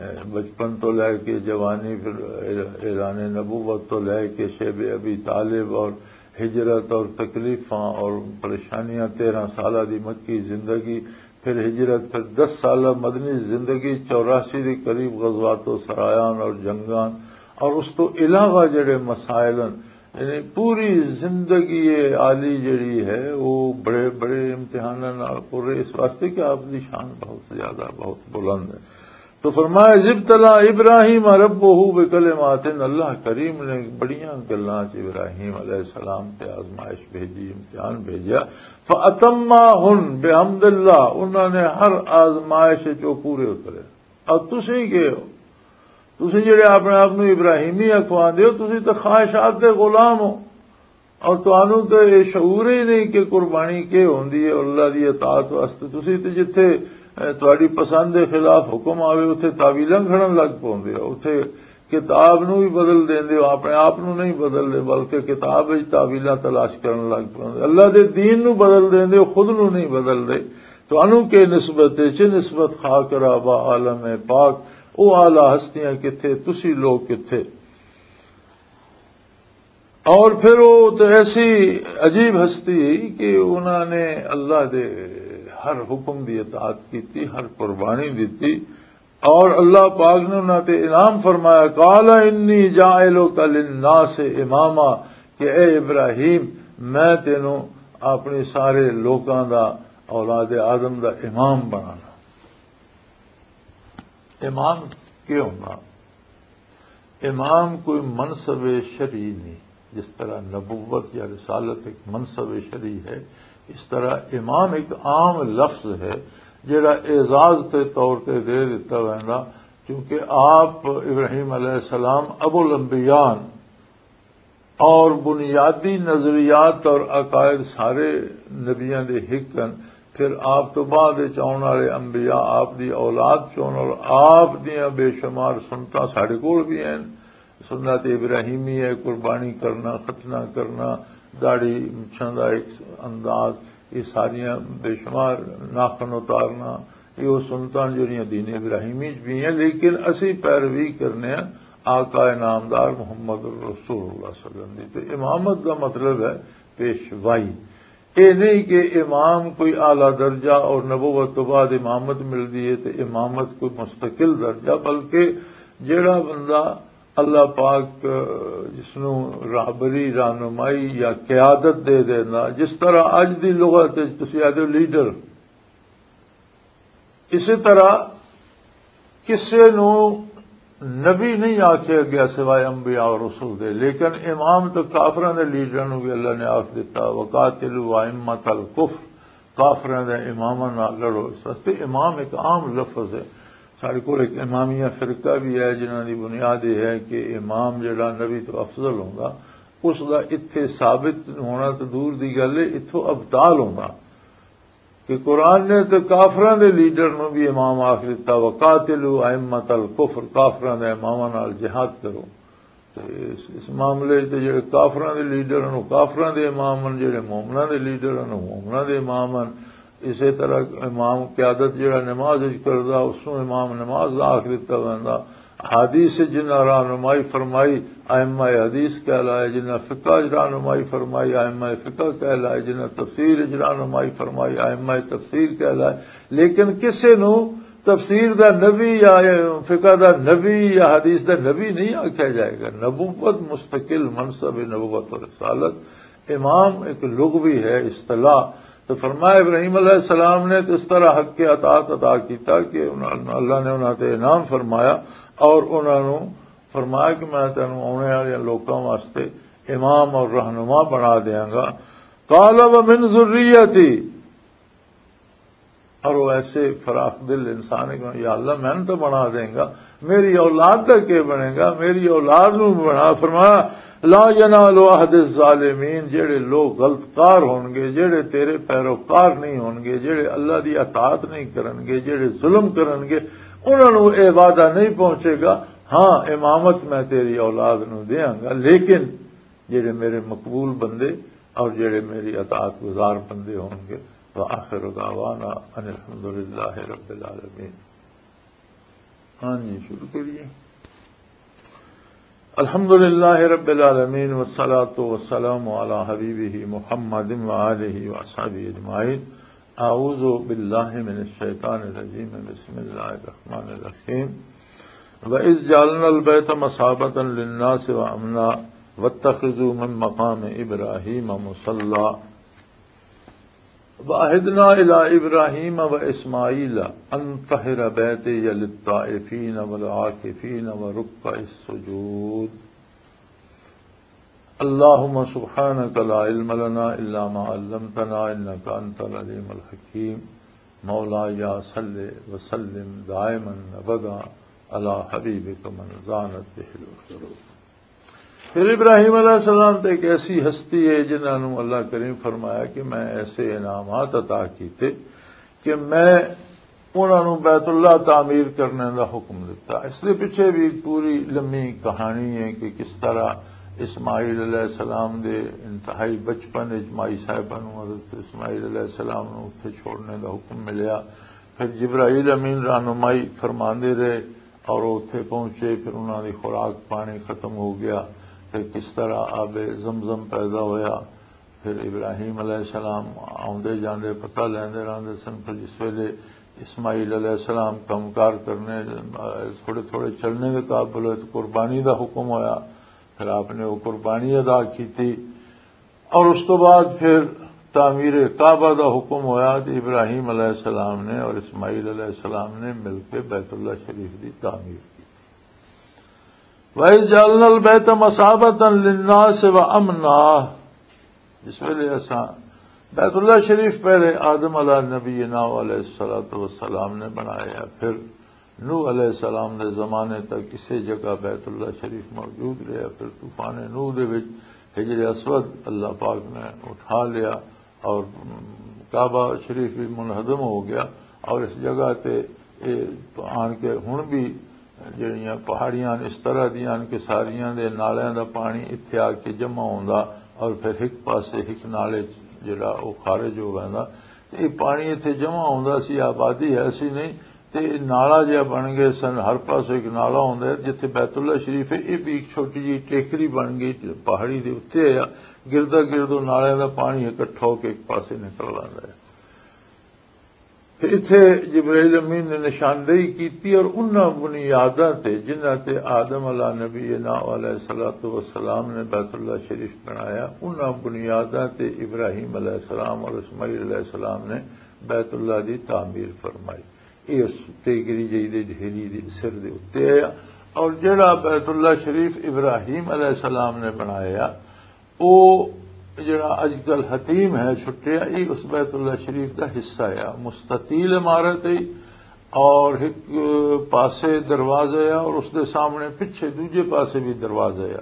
اے، بچپن تو لے کے جوانی، پھر اعلان نبوت تو لے کے شیب ابی طالب اور ہجرت اور تکلیفاں اور پریشانیاں، تیرہ سالہ دی مکی زندگی، پھر ہجرت، پھر دس سالہ مدنی زندگی، چوراسی دے قریب غزوات و سرایان اور جنگان، اور اس تو علاوہ جڑے مسائل ہیں، یعنی پوری زندگی عالی جڑی ہے، وہ بڑے بڑے امتحاناں نال پر ہے، اس واسطے کہ آپ دی شان بہت زیادہ، بہت بلند ہے۔ تو فرمایا، "اذ ابتلی ابراہیم ربہ بکلمات"، اللہ کریم نے بڑیاں گلاں چ ابراہیم علیہ السلام تے آزمائش بھیجی، امتحان بھیجا۔ "فاتمہن بحمد اللہ"، انہاں نے ہر آزمائش وچ وہ پورے اترے۔ اور تسی کے ہو؟ تسی جڑے اپنے آپ نو ابراہیمی اکھواندے ہو، تسی تے خواہشات دے غلام ہو۔ اور تانوں تے یہ شعور ہی نہیں کہ قربانی کی ہوندی ہے اللہ دی اطاعت واسطے۔ تسی تے جتھے، اے، تہاڈی پسند دے خلاف حکم آوے، اتھے تعویلاں گھڑن لگ پوندے ہو۔ اتھے کتاب نو بھی بدل دیندے ہو، اپنے آپ نو نہیں بدل دے، بلکہ کتاب وچ تعویلاں تلاش کرن لگ پوندے۔ اللہ دے دین نو بدل دیندے ہو، خود نو نہیں بدل دے۔ تانوں کی نسبت ہے، چی نسبت خاک رابا عالم پاک، او اعلیٰ ہستیاں کتھے، تسی لوگ کتھے؟ اور پھر وہ تو ایسی عجیب ہستی کہ انہوں نے اللہ دے ہر حکم دی اطاعت کی تھی، ہر قربانی دی تھی، اور اللہ پاک نے انہوں تے انعام فرمایا، "قال انی جاعلک للناس اماما"، کہ اے ابراہیم، میں تینوں اپنی سارے لوکاں دا، اولاد آدم دا امام بنانا۔ امام کیا ہونا؟ امام کوئی منصب شرعی نہیں، جس طرح نبوت یا رسالت ایک منصب شرعی ہے، اس طرح امام ایک عام لفظ ہے، جڑا اعزاز تے طور تے دے دیتا ویندا، کیونکہ آپ ابراہیم علیہ السلام ابو الانبیاء ہیں، اور بنیادی نظریات اور عقائد سارے نبیاں دے ہک ہن۔ پھر آپ تو بعد وچ آؤن والے انبیاء آپ دی اولاد چون، اور آپ دیاں بے شمار سنتاں ساڈے کول بھی ہیں۔ سنت ابراہیمی ہے، قربانی کرنا، ختنہ کرنا، داڑھی مچھاں دا ایک انداز، یہ ساریاں بے شمار، ناخن اتارنا، یہ وہ سنتاں جڑیاں دین ابراہیمی چ بھی ہیں، لیکن اسی پیروی کرنے ہیں آقا نامدار محمد رسول اللہ صلی اللہ علیہ وسلم دی۔ تو امامت دا مطلب ہے پیشوائی۔ اے نہیں کہ امام کوئی اعلیٰ درجہ اور نبوت تو بعد امامت ملدی ہے، تو امامت کوئی مستقل درجہ، بلکہ جیڑا بندہ اللہ پاک جس نو راہبری، رہنمائی یا قیادت دے دینا، جس طرح اج دی لغت وچ تسی آدھے لیڈر، اسی طرح کسے نو نبی نہیں آکھیا گیا سوائے انبیاء اور رسول دے، لیکن امام تو کافراں دے لیڈراں نو بھی اللہ نے آکھ دتا، "وقاتلوا ائمۃ الکفر"، کافراں دے اماماں نال لڑو۔ اس واسطے امام ایک عام لفظ ہے۔ ساڈے کول ایک امامیہ فرقہ بھی ہے، جنہاں دی بنیاد یہ ہے کہ امام جڑا نبی تو افضل ہوندا، اس دا اتھے ثابت ہونا تو دور دی گل ہے، اتھوں ابطال ہوندا۔ کہ قرآن نے تے کافراں دے لیڈر نوں بھی امام آکھ دتا، "وقاتلوا ائمۃ الکفر"، کافراں دے اماماں نال جہاد کرو۔ تے اس، اس معاملے تے جڑے کافراں دے لیڈر ہن، وہ کافراں دے امام ہن، جڑے مومناں دے لیڈر ہن، وہ مومناں دے امام ہن۔ اسی طرح امام قیادت جڑا نماز وچ کردا، اس نوں امام نماز دا آکھ دتا ویندا۔ حدیث جنہاں رہنمائی فرمائی، ائمہ حدیث کہلائے، جنہاں فقہ رہنمائی فرمائی، ائمہ فقہ کہلائے، جنہاں تفسیر رہنمائی فرمائی، ائمہ تفسیر کہلائے۔ لیکن کسے نو تفسیر دا نبی یا فقہ دا نبی یا حدیث دا نبی نہیں آکھیا جائے گا۔ نبوت مستقل منصب ہے، نبوت اور رسالت۔ امام ایک لغوی ہے، اصطلاح، تو فرمایا، ابراہیم علیہ السلام نے تو اس طرح حق کے اطاعت ادا کیتا کہ انہاں، اللہ نے انہاں تے انعام فرمایا اور انہاں نوں فرمایا کہ میں تینوں آنے والے لوکاں واسطے امام اور رہنما بنا دیاں گا۔ قال ومن ذریتی، اور وہ ایسے فراخ دل انسان ہے کہ یا اللہ، میں تو بنا دیں گا، میری اولاد دا کی بنے گا؟ میری اولاد نو بنا۔ فرمایا، لا ینال عہد الظالمین، جڑے لوگ غلط کار ہون گے، جڑے تیرے پیروکار نہیں ہون گے، جڑے اللہ دی اطاعت نہیں کرن گے، جڑے ظلم کرن گے، انہاں نو اے وعدہ نہیں پہنچے گا۔ ہاں، امامت میں تیری اولاد نو دیاں گا، لیکن جڑے میرے مقبول بندے اور جڑے میری اطاعت گزار بندے ہون گے۔ وآخر دعوانا ان الحمد للہ رب العالمین۔ ہاں جی، شروع کریے۔ الحمد للہ رب العالمین، والصلاة والسلام علی حبیبہ محمد وآلہ وصحبہ اجمعین۔ اعوذ باللہ من الشیطان الرجیم، بسم اللہ الرحمن الرحیم۔ وَإِذْ جَعَلْنَا الْبَيْتَ مَثَابَةً لِلنَّاسِ وَأَمْنًا وَاتَّخِذُوا مِنْ مَقَامِ إِبْرَاهِيمَ مُصَلًّى وَعَهِدْنَا إِلَى إِبْرَاهِيمَ وَإِسْمَاعِيلَ أَنْ طَهِّرَ بَيْتِيَ لِلطَّائِفِينَ وَالْعَاكِفِينَ وَالرُّكَّعِ السُّجُودِ. اللهم سبحانك لا علم لنا إلا ما علمتنا إنك أنت العليم الحكيم. مولاي صل وسلم دائما أبدا على حبيبك من زانت به العيون. پھر ابراہیم علیہ السلام تے ایک ایسی ہستی ہے جنہاں نوں اللہ کریم فرمایا کہ میں ایسے انعامات عطا کیتے کہ میں انہاں نوں بیت اللہ تعمیر کرنے دا حکم دتا۔ اس دے پیچھے بھی ایک پوری لمبی کہانی ہے کہ کس طرح اسماعیل علیہ السلام دے انتہائی بچپن وچ مائی صاحبہ نوں حضرت اسماعیل علیہ السلام نوں اتھے چھوڑنے دا حکم ملیا۔ پھر جبرائیل امین رہنمائی فرماندے رہے اور وہ اتھے پہنچے، پھر انہاں دی خوراک پانی ختم ہو گیا، پھر کس طرح آب زمزم پیدا ہویا۔ پھر ابراہیم علیہ السلام آوندے جاندے پتہ لیندے رہندے سن۔ پھر جس ویلے اسماعیل علیہ السلام کم کار کرنے، تھوڑے تھوڑے چلنے دے قابل ہوئے تو قربانی دا حکم ہویا۔ پھر آپ نے وہ قربانی ادا کیتی اور اس تو بعد پھر تعمیر کعبہ دا حکم ہویا تو ابراہیم علیہ السلام نے اور اسماعیل علیہ السلام نے مل کے بیت اللہ شریف دی تعمیر کی۔ وَإِذْ جَعَلْنَا الْبَيْتَ مَثَابَةً لِلنَّاسِ وَأَمْنًا، جس ویلے اساں بیت اللہ شریف پہلے آدم علیہ نبینا علیہ الصلوۃ والسلام نے بنایا، پھر نوح علیہ السلام دے زمانے تک کسے جگہ بیت اللہ شریف موجود رہیا، پھر طوفان نوح دے وچ حجر اسود اللہ پاک نے اٹھا لیا اور کعبہ شریف بھی منہدم ہو گیا، اور اس جگہ تے اے آن کے ہن بھی جڑیاں پہاڑیاں اس طرح دیاں کہ ساریاں دے نالیاں دا پانی اتھے آ کے جمع ہوندا اور پھر ہک پاسے ہک نالے چ جڑا او خارج ہو ویندا۔ تے اے پانی اتھے جمع ہوندا سی، آبادی ہے سی نہیں، تے اے نالا جہا بن گئے سن، ہر پاسے ایک نالا ہوندا ہے۔ جتھے بیت اللہ شریف ہے، اے بھی ایک چھوٹی جی ٹیکری بن گئی پہاڑی دے اُتے، آ گردا گرد او نالیاں دا پانی اکٹھا ہو کے ایک پاسے نکل آندا ہے۔ تے اتھے جبرائیل امین نے نشاندہی کیتی اور انہاں بنیاداں تے جنہاں تے آدم علیہ نبینا علیہ الصلوۃ والسلام نے بیت اللہ شریف بنایا، انہاں بنیاداں تے ابراہیم علیہ السلام اور اسماعیل علیہ السلام نے بیت اللہ دی تعمیر فرمائی۔ یہ اس تیگری جئی دے ڈھیری دے سر دے اُتے آیا، اور جڑا بیت اللہ شریف ابراہیم علیہ السلام نے بنایا، او جڑا اج کل حتیم ہے چھٹیا، یہ اس بیت اللہ شریف دا حصہ ہے۔ مستطیل عمارت ہے اور ایک پاسے دروازہ ہے اور اس دے سامنے پچھے دوجے پاسے بھی دروازہ ہے،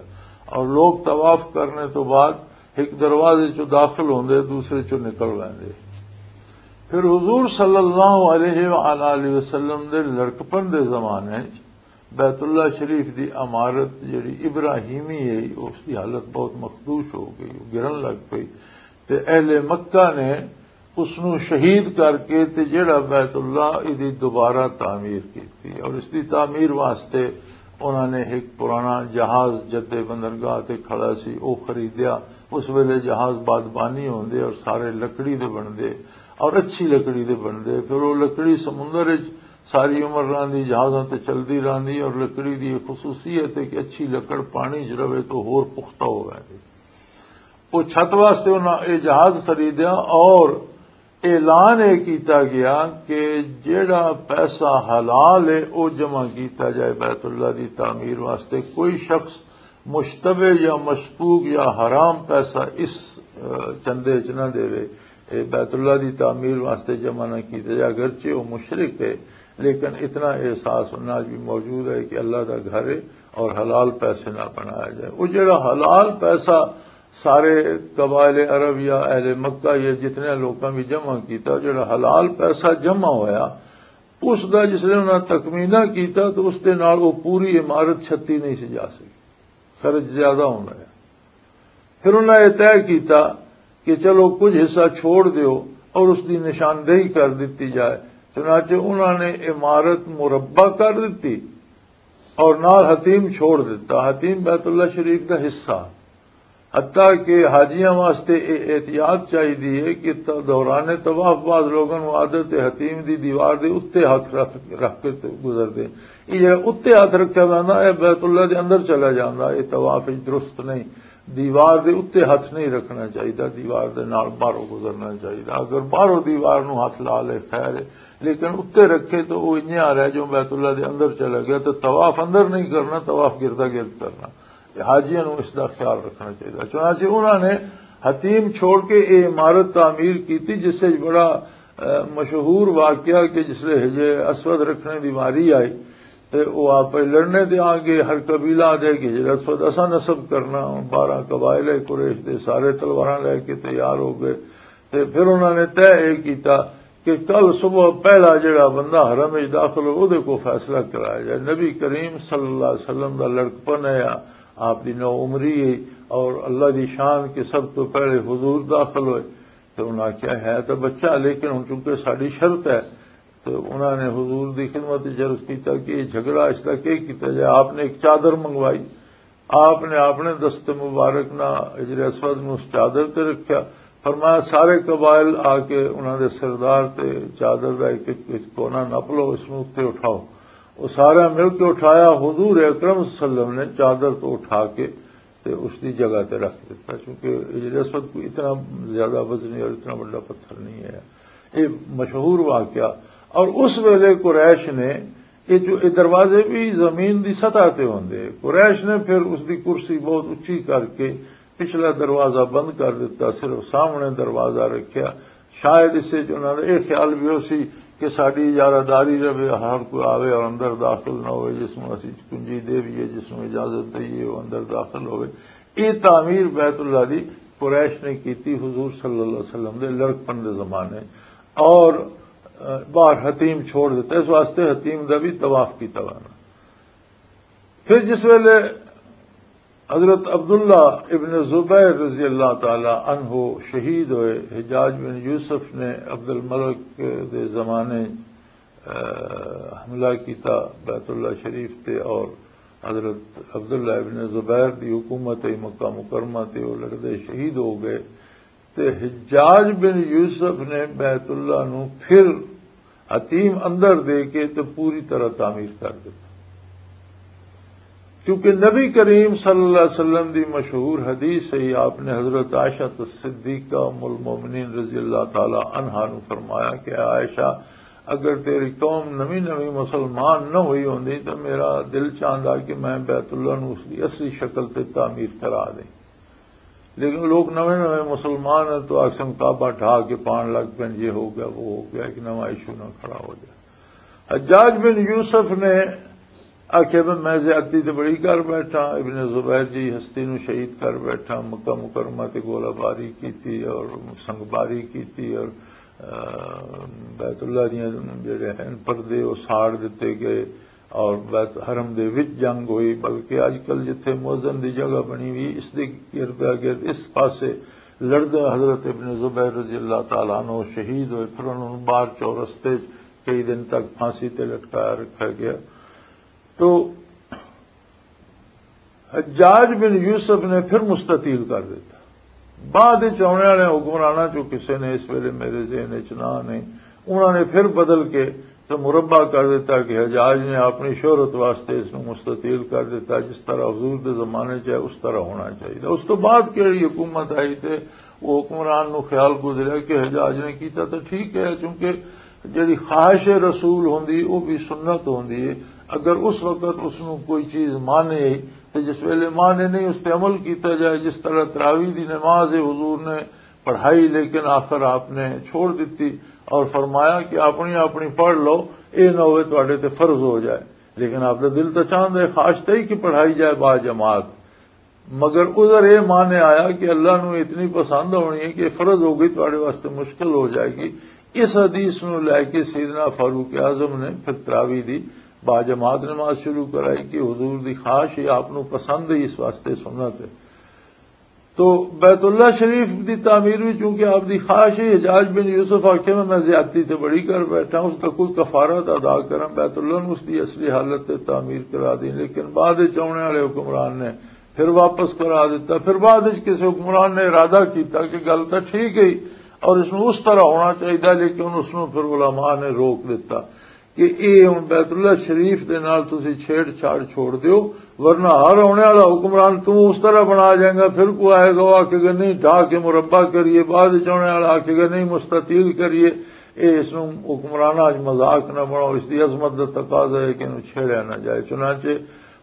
اور لوگ طواف کرنے تو بعد ایک دروازے چوں داخل ہوندے، دوسرے چوں نکل ویندے۔ پھر حضور صلی اللہ علیہ وآلہ وسلم دے لڑکپن دے زمانے چ بیت اللہ شریف دی عمارت جڑی ابراہیمی ہے، اس دی حالت بہت مخدوش ہو گئی، گرن لگ پئی۔ تے اہل مکہ نے اس نو شہید کر کے تے جڑا بیت اللہ دی دوبارہ تعمیر کیتی، اور اس دی تعمیر واسطے انہاں نے ایک پرانا جہاز جدے بندرگاہ تے کھڑا سی، او خریدیا۔ اس ویلے جہاز بادبانی ہوندے اور سارے لکڑی دے بندے اور اچھی لکڑی دے بندے۔ پھر وہ لکڑی سمندر وچ ساری عمر رہندی، جہازاں تے چلدی رہندی، اور لکڑی دی یہ خصوصیت ہے کہ اچھی لکڑ پانی چ رہے تو ہور پختہ ہو ویندی۔ وہ چھت واسطے انہاں یہ جہاز خریدیا اور اعلان یہ کیتا گیا کہ جڑا پیسہ حلال ہے، وہ جمع کیتا جائے بیت اللہ دی تعمیر واسطے۔ کوئی شخص مشتبہ یا مشکوک یا حرام پیسہ اس، آ، چندے چ نہ دے۔ اے بیت اللہ دی تعمیر واسطے جمع نہ کیتا جائے، اگرچہ وہ مشرک ہے، لیکن اتنا احساس انہاں وچ بھی موجود ہے کہ اللہ دا گھر ہے اور حلال پیسے نہ بنایا جائے۔ وہ جڑا حلال پیسہ سارے قبائل عرب یا اہل مکہ یا جتنے لوکاں بھی جمع کیتا، جڑا حلال پیسہ جمع ہویا، اس دا جس نے انہاں تخمینہ کیتا تو اس دے نال وہ پوری عمارت چھتی نہیں سی جا سکی، خرچ زیادہ ہونا ہے۔ پھر انہاں یہ طے کیتا کہ چلو کچھ حصہ چھوڑ دیو اور اس دی نشاندہی کر دتی جائے۔ چنانچہ انہاں نے عمارت مربع کر دتی اور نال حتیم چھوڑ دتا۔ حتیم بیت اللہ شریف دا حصہ، حتیٰ کہ حاجیاں واسطے یہ احتیاط چاہیے ہے کہ ت- دوران طواف بعض لوگوں کو عادت ہے حتیم دی دیوار دے اتنے ہاتھ رکھ رکھ کے تے گزر دے۔ یہ جڑا اتنے ہاتھ رکھا جانا ہے، بیت اللہ دے اندر چلا جانا، یہ طواف وچ درست نہیں۔ دیوار دے اتنے ہاتھ نہیں رکھنا چاہیے، دیوار دے نال باہروں گزرنا چاہیے۔ اگر باہروں دیوار نو ہاتھ لا لے خیر ہے، لیکن اتنے رکھے تو وہ انجے آ رہا ہے جو بیت اللہ دے اندر چلا گیا۔ تو طواف اندر نہیں کرنا، طواف گردا گرد کرنا۔ یہ حاجیاں نو اس دا خیال رکھنا چاہیے۔ چنانچہ انہاں نے حتیم چھوڑ کے یہ عمارت تعمیر کی تھی، جس سے بڑا، اہ، مشہور واقعہ کہ جس لے حجر اسود رکھنے دی واری آئی تے وہ آپ لڑنے تے آ گئے۔ ہر قبیلہ آ جائے کہ حجر اسود اساں نصب کرنا، بارہ قبائل قریش دے سارے تلواراں لے کے تیار ہو گئے۔ تے پھر انہاں نے طے یہ کیتا کہ کل صبح پہلا جڑا بندہ حرم وچ داخل ہو، اودے کو فیصلہ کرایا جائے۔ نبی کریم صلی اللہ علیہ وسلم دا لڑکپن ہے، آپ دی نو عمری ہے، اور اللہ دی شان کہ سب تو پہلے حضور داخل ہوئے۔ تو انہاں کیا ہے تو بچہ، لیکن ہن چونکہ ساڈی شرط ہے، تو انہاں نے حضور دی خدمت وچ عرض کیتا کہ یہ جھگڑا اس دا کی کیتا جائے۔ آپ نے ایک چادر منگوائی، آپ نے اپنے دست مبارک نال حجر اسود نوں اس چادر تے رکھیا۔ فرمایا، سارے قبائل آ کے انہاں دے سردار تے چادر دا ایک ایک کونا نپ لو، اس نوں اتھے اٹھاؤ۔ وہ سارا مل کے اٹھایا۔ حضور اکرم صلی اللہ علیہ وسلم نے چادر تو اٹھا کے تے اس دی جگہ تے رکھ دیتا، کیونکہ حجر اسود کوئی اتنا زیادہ وزنی اور اتنا بڑا پتھر نہیں ہے۔ یہ مشہور واقعہ۔ اور اس ویلے قریش نے یہ جو یہ دروازے بھی زمین دی سطح تے ہوندے، قریش نے پھر اس دی کرسی بہت اچھی کر کے پچھلا دروازہ بند کر دیتا، صرف سامنے دروازہ رکھیا۔ شاید اس وچ انہاں دا یہ خیال بھی ہو سی کہ ساڈی اجارہ داری رہے، ہر کوئی آوے اور اندر داخل نہ ہوئے، جس نوں اسی کنجی دے بھی ہے، جس نوں اجازت دئیے وہ اندر داخل ہوئے۔ یہ تعمیر بیت اللہ دی قریش نے کیتی حضور صلی اللہ علیہ وسلم دے لڑکپن دے زمانے، اور، آ، باہر حتیم چھوڑ دیتا۔ اس واسطے حتیم دا بھی طواف کیتا ہوا نا۔ پھر جس ویلے حضرت عبداللہ ابن زبیر رضی اللہ تعالی عنہ شہید ہوئے، حجاج بن یوسف نے عبد الملک دے زمانے، آ، حملہ کیتا بیت اللہ شریف تے، اور حضرت عبداللہ ابن زبیر دی حکومت ہے مکہ مکرمہ تے، وہ لڑدے شہید ہو گئے۔ تے حجاج بن یوسف نے بیت اللہ نو پھر حتیم اندر دے کے تے پوری طرح تعمیر کر دیتا، کیونکہ نبی کریم صلی اللہ علیہ وسلم دی مشہور حدیث ہے، آپ نے حضرت عائشہ صدیقہ ام المومنین رضی اللہ تعالی عنہا نو فرمایا کہ عائشہ، اگر تیری قوم نویں نویں مسلمان نہ ہوئی ہوندی تو میرا دل چاہندا کہ میں بیت اللہ نو اس دی اصلی شکل تے تعمیر کرا دیں۔ لیکن لوگ نویں نویں مسلمان ہیں تو آکسن کعبہ ڈھا کے پان لگ پین، یہ ہو گیا، وہ ہو گیا، ایک نواں ایشو نہ کھڑا ہو جائے۔ حجاج بن یوسف نے آخیا، "میں، میں زیادتی تے بڑی کر بیٹھا، ابن زبیر جی ہستی نو شہید کر بیٹھا، مکہ مکرمہ تے گولہ باری کیتی اور سنگ باری کیتی اور، آ، بیت اللہ دیاں جڑے ہیں پردے وہ ساڑ دیتے گئے۔" اور بیت حرم دے وچ جنگ ہوئی، بلکہ اج کل جتھے مؤذن دی جگہ بنی ہوئی، اس دے ارد گرد اس پاسے لڑدے حضرت ابن زبیر رضی اللہ تعالیٰ عنہ شہید ہوئے، پھر انہوں نے باہر چورس تے کئی دن تک پھانسی تے لٹکایا رکھا گیا۔ تو حجاج بن یوسف نے پھر مستطیل کر دیتا۔ بعد وچ آنے والے حکمراناں چوں کسے نے، اس ویلے میرے ذہن وچ نہ نہیں، انہاں نے پھر بدل کے تو مربع کر دیتا کہ حجاج نے اپنی شہرت واسطے اس نوں مستطیل کر دیتا، جس طرح حضور دے زمانے چ ہے، اس طرح ہونا چاہیے۔ اس تو بعد کیڑی حکومت آئی تے وہ حکمران نوں خیال گزریا کہ حجاج نے کیتا تو ٹھیک ہے، چونکہ جڑی خواہش رسول ہوندی، وہ بھی سنت ہوندی ہے۔ اگر اس وقت اس نوں کوئی چیز مانے آئی، تو جس ویلے مانے نہیں، اس تے عمل کیتا جائے۔ جس طرح تراویح دی نماز ہے، حضور نے پڑھائی، لیکن آخر آپ نے چھوڑ دیتی اور فرمایا کہ اپنی اپنی پڑھ لو، اے نہ ہوئے تواڈے تے فرض ہو جائے۔ لیکن آپ دا دل تو چاہندا ہے، خواہش تھی کہ پڑھائی جائے با جماعت، مگر عذر اے مانے آیا کہ اللہ نو اتنی پسند ہونی ہے کہ فرض ہو گئی، تواڈے واسطے مشکل ہو جائے گی۔ اس حدیث نو لے کے سیدنا فاروق اعظم نے پھر تراویح دی با جماعت نماز شروع کرائی کہ حضور دی خواہش ہے، آپ نو پسند ہے، اس واسطے سنت ہے۔ تو بیت اللہ شریف دی تعمیر بھی چونکہ آپ دی خواہش ہے، حجاج بن یوسف آکھے میں، میں زیادتی تے بڑی کر بیٹھا، اس دا کوئی کفارہ تے ادا کراں، بیت اللہ نوں اس دی اصلی حالت تے تعمیر کرا دیں۔ لیکن بعد وچ آنے والے حکمران نے پھر واپس کرا دیتا۔ پھر بعد وچ کسی حکمران نے ارادہ کیتا کہ گل تاں ٹھیک ہے اور اس نوں اس طرح ہونا چاہیے، لیکن اس نوں پھر علماء نے روک دیتا۔ کہ اے ہن بیت اللہ شریف دے نال تسی چھیڑ چھاڑ چھوڑ دیو، ورنہ ہر آنے والا حکمران توں اس طرح بنا جائے گا۔ پھر کوئی آئے گا، وہ آکھے گا نہیں، ڈھا کے مربع کریے، بعد وچ آنے والا آکھے گا نہیں، مستطیل کریے۔ اے اس نوں حکمراناں اچ مذاق نہ بناؤ، اس دی عظمت دا تقاضا ہے کہ انہوں چھیڑیا نہ جائے۔ چنانچہ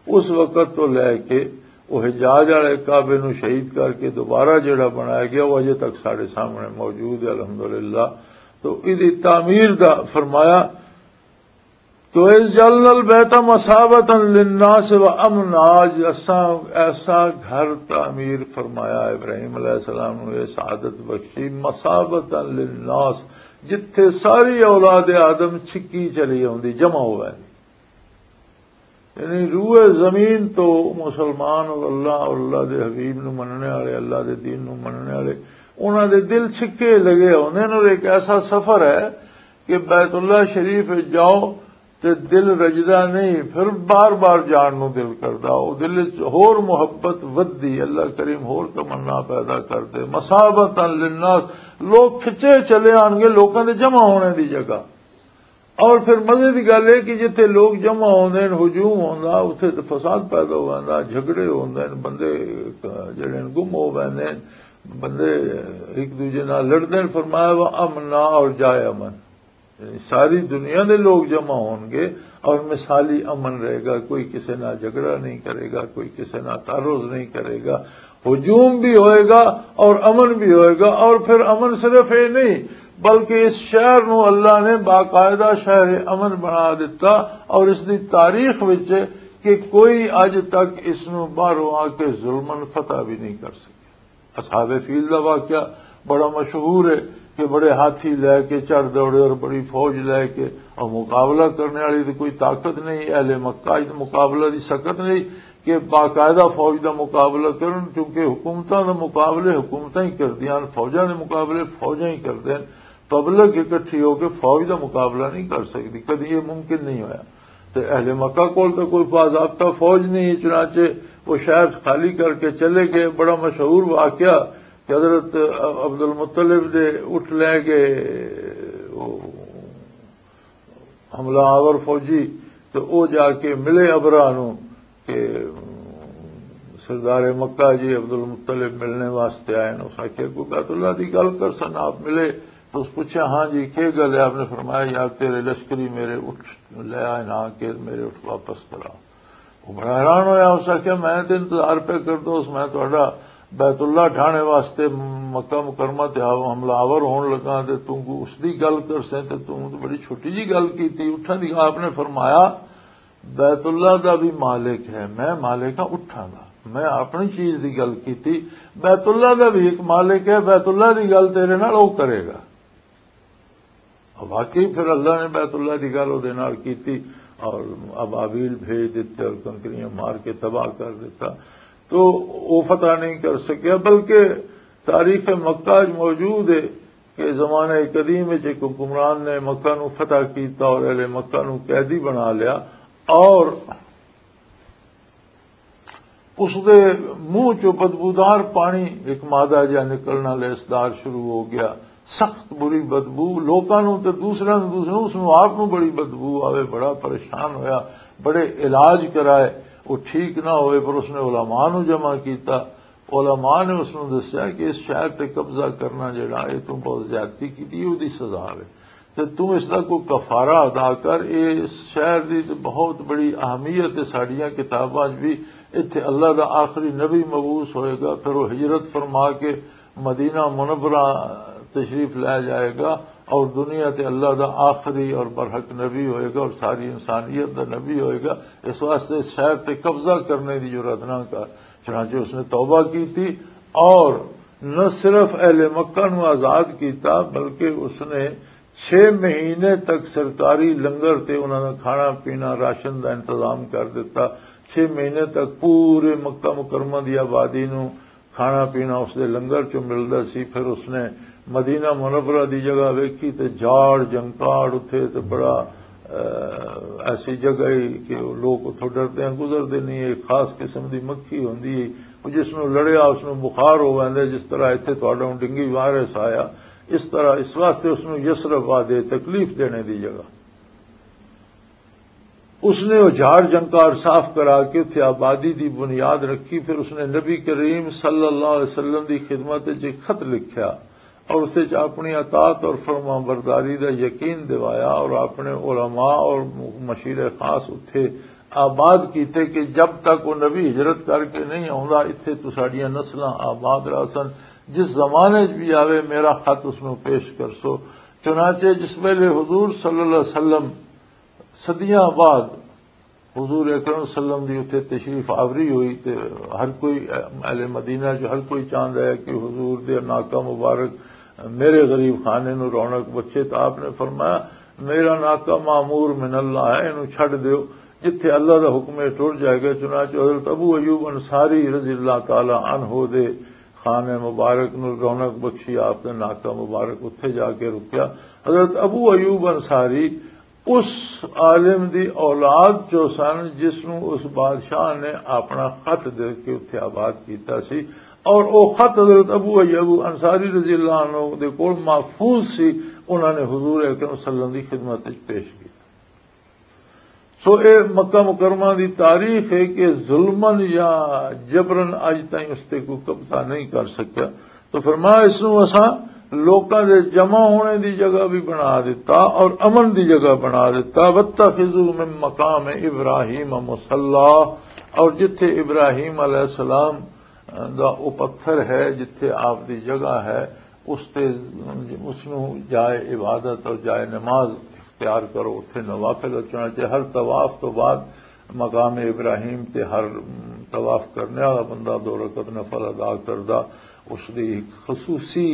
اس وقت تو لے کے وہ حجاج والے کعبے نوں شہید کر کے دوبارہ جڑا بنایا گیا، وہ اجے تک ساڈے سامنے موجود ہے، الحمدللہ۔ تو اس دی تعمیر دا فرمایا، تو اس جعلنا البیت مثابتا للناس و امنا، آج اساں ایسا گھر تعمیر فرمایا ابراہیم علیہ السلام نو، یہ سعادت بخشی، مثابتا للناس، جتھے ساری اولاد آدم چھکی چلی آوندی، جمع ہو ویندی۔ یعنی روئے زمین تو مسلمان اور اللہ اور اللہ دے حبیب نو مننے والے، اللہ دے دین نو مننے والے، انہاں دے دل چھکے لگے ہوندے نے۔ اور ایک ایسا سفر ہے کہ بیت اللہ شریف وچ جاؤ تے دل رجدا نہیں، پھر بار بار جان نو دل کردا۔ او دل وچ ہور محبت ودی، اللہ کریم ہور تمنا پیدا کر دے۔ مثابتا للناس، لوگ کھچے چلے آن گے لوکاں دے جمع ہونے دی جگہ۔ اور پھر مزے دی گل ہے کہ جتھے لوگ جمع ہوندے نے، ہجوم ہوندا، اتھے تے فساد پیدا ہو ویندا، جھگڑے ہوندے نے، بندے جڑے نے گم ہو ویندے نے، بندے ایک دوجے نال لڑدے نے۔ فرمایا، "و امنا"، اور جائے امن۔ یعنی ساری دنیا دے لوگ جمع ہون گے اور مثالی امن رہے گا، کوئی کسے نال جھگڑا نہیں کرے گا، کوئی کسے نال تعرض نہیں کرے گا، ہجوم بھی ہوئے گا اور امن بھی ہوئے گا۔ اور پھر امن صرف یہ نہیں، بلکہ اس شہر نو اللہ نے باقاعدہ شہر امن بنا دیتا، اور اس دی تاریخ وچ کہ کوئی اج تک اس نو باہروں آ کے ظلمن فتح بھی نہیں کر سکیا۔ اصحاب فیل دا واقعہ بڑا مشہور ہے کہ بڑے ہاتھی لے کے چڑھ دوڑے اور بڑی فوج لے کے، اور مقابلہ کرنے والی تو کوئی طاقت نہیں، اہل مکہ دی مقابلہ دی سکت نہیں کہ باقاعدہ فوج دا مقابلہ کرن، کیونکہ حکومتاں دے مقابلے حکومتاں ہی کردیاں ہن، فوجاں دے مقابلے فوجاں ہی کردے ہن۔ پبلک اکٹھی ہو کے فوج دا مقابلہ نہیں کر سکدی، کدی یہ ممکن نہیں ہویا۔ تے اہل مکہ کول تے کوئی باضابطہ فوج نہیں، چنانچہ وہ شہر خالی کر کے چلے گئے۔ بڑا مشہور واقعہ کہ حضرت عبد المطلب دے اٹھ لے گئے، وہ حملہ آور فوجی، تے او جا کے ملے ابرا نو کہ سردار مکہ جی عبد المطلب ملنے واسطے آئے نے۔ اس آکھیا، "کوئی بیت اللہ دی گل کر سن۔" آپ ملے تو اس پوچھا، "ہاں جی، کی گل ہے؟" آپ نے فرمایا، "یار، تیرے لشکری میرے اٹھ لے آئے نہ کہ میرے اٹھ واپس کرا۔" وہ بڑا حیران ہویا، اس آکھیا، "میں تے انتظار پہ کر دو، اس میں تہاڈا بیت اللہ ڈھانے واسطے مکہ مکرمہ تے آو-، حملہ آور ہون لگا تے توں کو اس دی گل کر سیں تے توں تے بڑی چھوٹی جی گل کیتی۔" اٹھاں دی آپ نے فرمایا، "بیت اللہ دا بھی مالک ہے، میں مالک ہاں اٹھاں دا، میں اپنی چیز دی گل کیتی، بیت اللہ دا بھی ایک مالک ہے، بیت اللہ دی گل تیرے نال او کرے گا۔" واقعی پھر اللہ نے بیت اللہ دی گل اودے نال کیتی اور ابابیل بھیج دیتے اور کنکریاں مار کے تباہ کر دیتا۔ تو وہ فتح نہیں کر سکیا، بلکہ تاریخ مکہ اچ موجود ہے کہ زمانہ قدیم وچ ایک حکمران نے مکہ نو فتح کیتا اور اہل مکہ نو قیدی بنا لیا، اور اس دے منہ چوں بدبودار پانی ایک مادہ جہا نکلنا لسدار شروع ہو گیا۔ سخت بری بدبو، لوکاں نوں تے دوسرے نوں، دوسرے نوں، اس نوں آپ نوں بڑی بدبو آوے، بڑا پریشان ہویا، بڑے علاج کرائے، وہ ٹھیک نہ ہوئے، پر اس نے علماء نوں جمع کیتا۔ علماء نے اس نوں دسیا کہ اس شہر تے قبضہ کرنا جڑا، یہ تو بہت زیادتی کی دی، وہ دی سزا ہے۔ تے تو اس دا کوئی کفارہ ادا کر۔ یہ اس شہر دی تے بہت بڑی اہمیت ہے۔ ساڈیاں کتاباں 'چ بھی اتھے اللہ دا آخری نبی مبعوث ہوئے گا، پھر وہ ہجرت فرما کے مدینہ منورہ تشریف لے جائے گا، اور دنیا تے اللہ دا آخری اور برحق نبی ہوئے گا، اور ساری انسانیت دا نبی ہوئے گا۔ اس واسطے اس شہر تے قبضہ کرنے دی جرات نہ کر۔ چنانچہ اس نے توبہ کی تھی، اور نہ صرف اہل مکہ نو آزاد کیتا، بلکہ اس نے چھ مہینے تک سرکاری لنگر تے انہاں دا کھانا پینا، راشن دا انتظام کر دیتا۔ چھ مہینے تک پورے مکہ مکرمہ دی آبادی نو کھانا پینا اس دے لنگر چوں ملدا سی۔ پھر اس نے مدینہ منورہ دی جگہ ویکھی تے جھاڑ جنکاڑ اتھے تے بڑا، اہ، ایسی جگہ ہی کہ لوگ اتھوں ڈردے ہیں، گزردے نہیں۔ ایک خاص قسم دی مکھی ہوندی ہے، وہ جس نوں لڑیا اس نوں بخار ہو ویندا ہے، جس طرح اتھے تہاڈا ہن ڈینگی وائرس آیا، اس طرح اس واسطے اس نوں یثرب آدھے، تکلیف دینے دی جگہ۔ اس نے وہ جھاڑ جنکار صاف کرا کے اتھے آبادی دی بنیاد رکھی۔ پھر اس نے نبی کریم صلی اللہ علیہ وسلم دی خدمت وچ ایک خط لکھیا اور اس وچ اپنی اطاعت اور فرما برداری دا یقین دوایا، اور اپنے علماء اور مشیر خاص اتھے آباد کیتے کہ جب تک وہ نبی ہجرت کر کے نہیں آوندا، اتھے تو ساڈیاں نسلاں آباد رہسن۔ جس زمانے 'چ بھی آوے، میرا خط اس نوں پیش کرسو۔ چنانچہ جس ویلے حضور صلی اللہ علیہ وسلم صدیاں بعد حضور اکرم صلی اللہ علیہ وسلم دی اتھے تشریف آوری ہوئی، تے ہر کوئی، اہل مدینہ جو ہر کوئی چاہندا ہے کہ حضور دے ناکا مبارک میرے غریب خانے نو رونق بخشے۔ تو آپ نے فرمایا، میرا ناکا معمور من اللہ ہے، اینو چھڈ دیو، جتھے اللہ دا حکم ہے ٹر جائے گا۔ چنانچہ حضرت ابو ایوب انصاری رضی اللہ تعالی عنہ دے خانے مبارک نو رونق بخشی، آپ نے ناکا مبارک اتھے جا کے رکیا۔ حضرت ابو ایوب انصاری اس عالم دی اولاد چوں سن جس نوں اس بادشاہ نے اپنا خط دے کے اتھے آباد کیتا سی، اور او خط حضرت ابو ایوب انصاری رضی اللہ عنہ دے کول محفوظ سی، انہاں نے حضور اکرم صلی اللہ علیہ وسلم دی خدمت وچ پیش کیتا۔ سو اے مکہ مکرمہ دی تاریخ ہے کہ ظلمن یا جبرن اج تائیں اس تے کوئی قبضہ نہیں کر سکیا۔ تو فرمایا، اس نوں اساں لوکاں دے جمع ہونے دی جگہ بھی بنا دیتا اور امن دی جگہ بنا دیتا۔ وَاتَّخِذُوا مِن مَّقَامِ إِبْرَاهِيمَ مُصَلًّى، اور جتھے ابراہیم علیہ السلام دا او پتھر ہے، جتھے آپ دی جگہ ہے، اس تے، اس نوں جائے عبادت اور جائے نماز اختیار کرو، اتھے نوافل اچھنا چاہیے۔ ہر طواف تو بعد مقام ابراہیم تے ہر طواف کرنے والا بندہ دو رکعت نفل ادا کردا، اس دی ایک خصوصی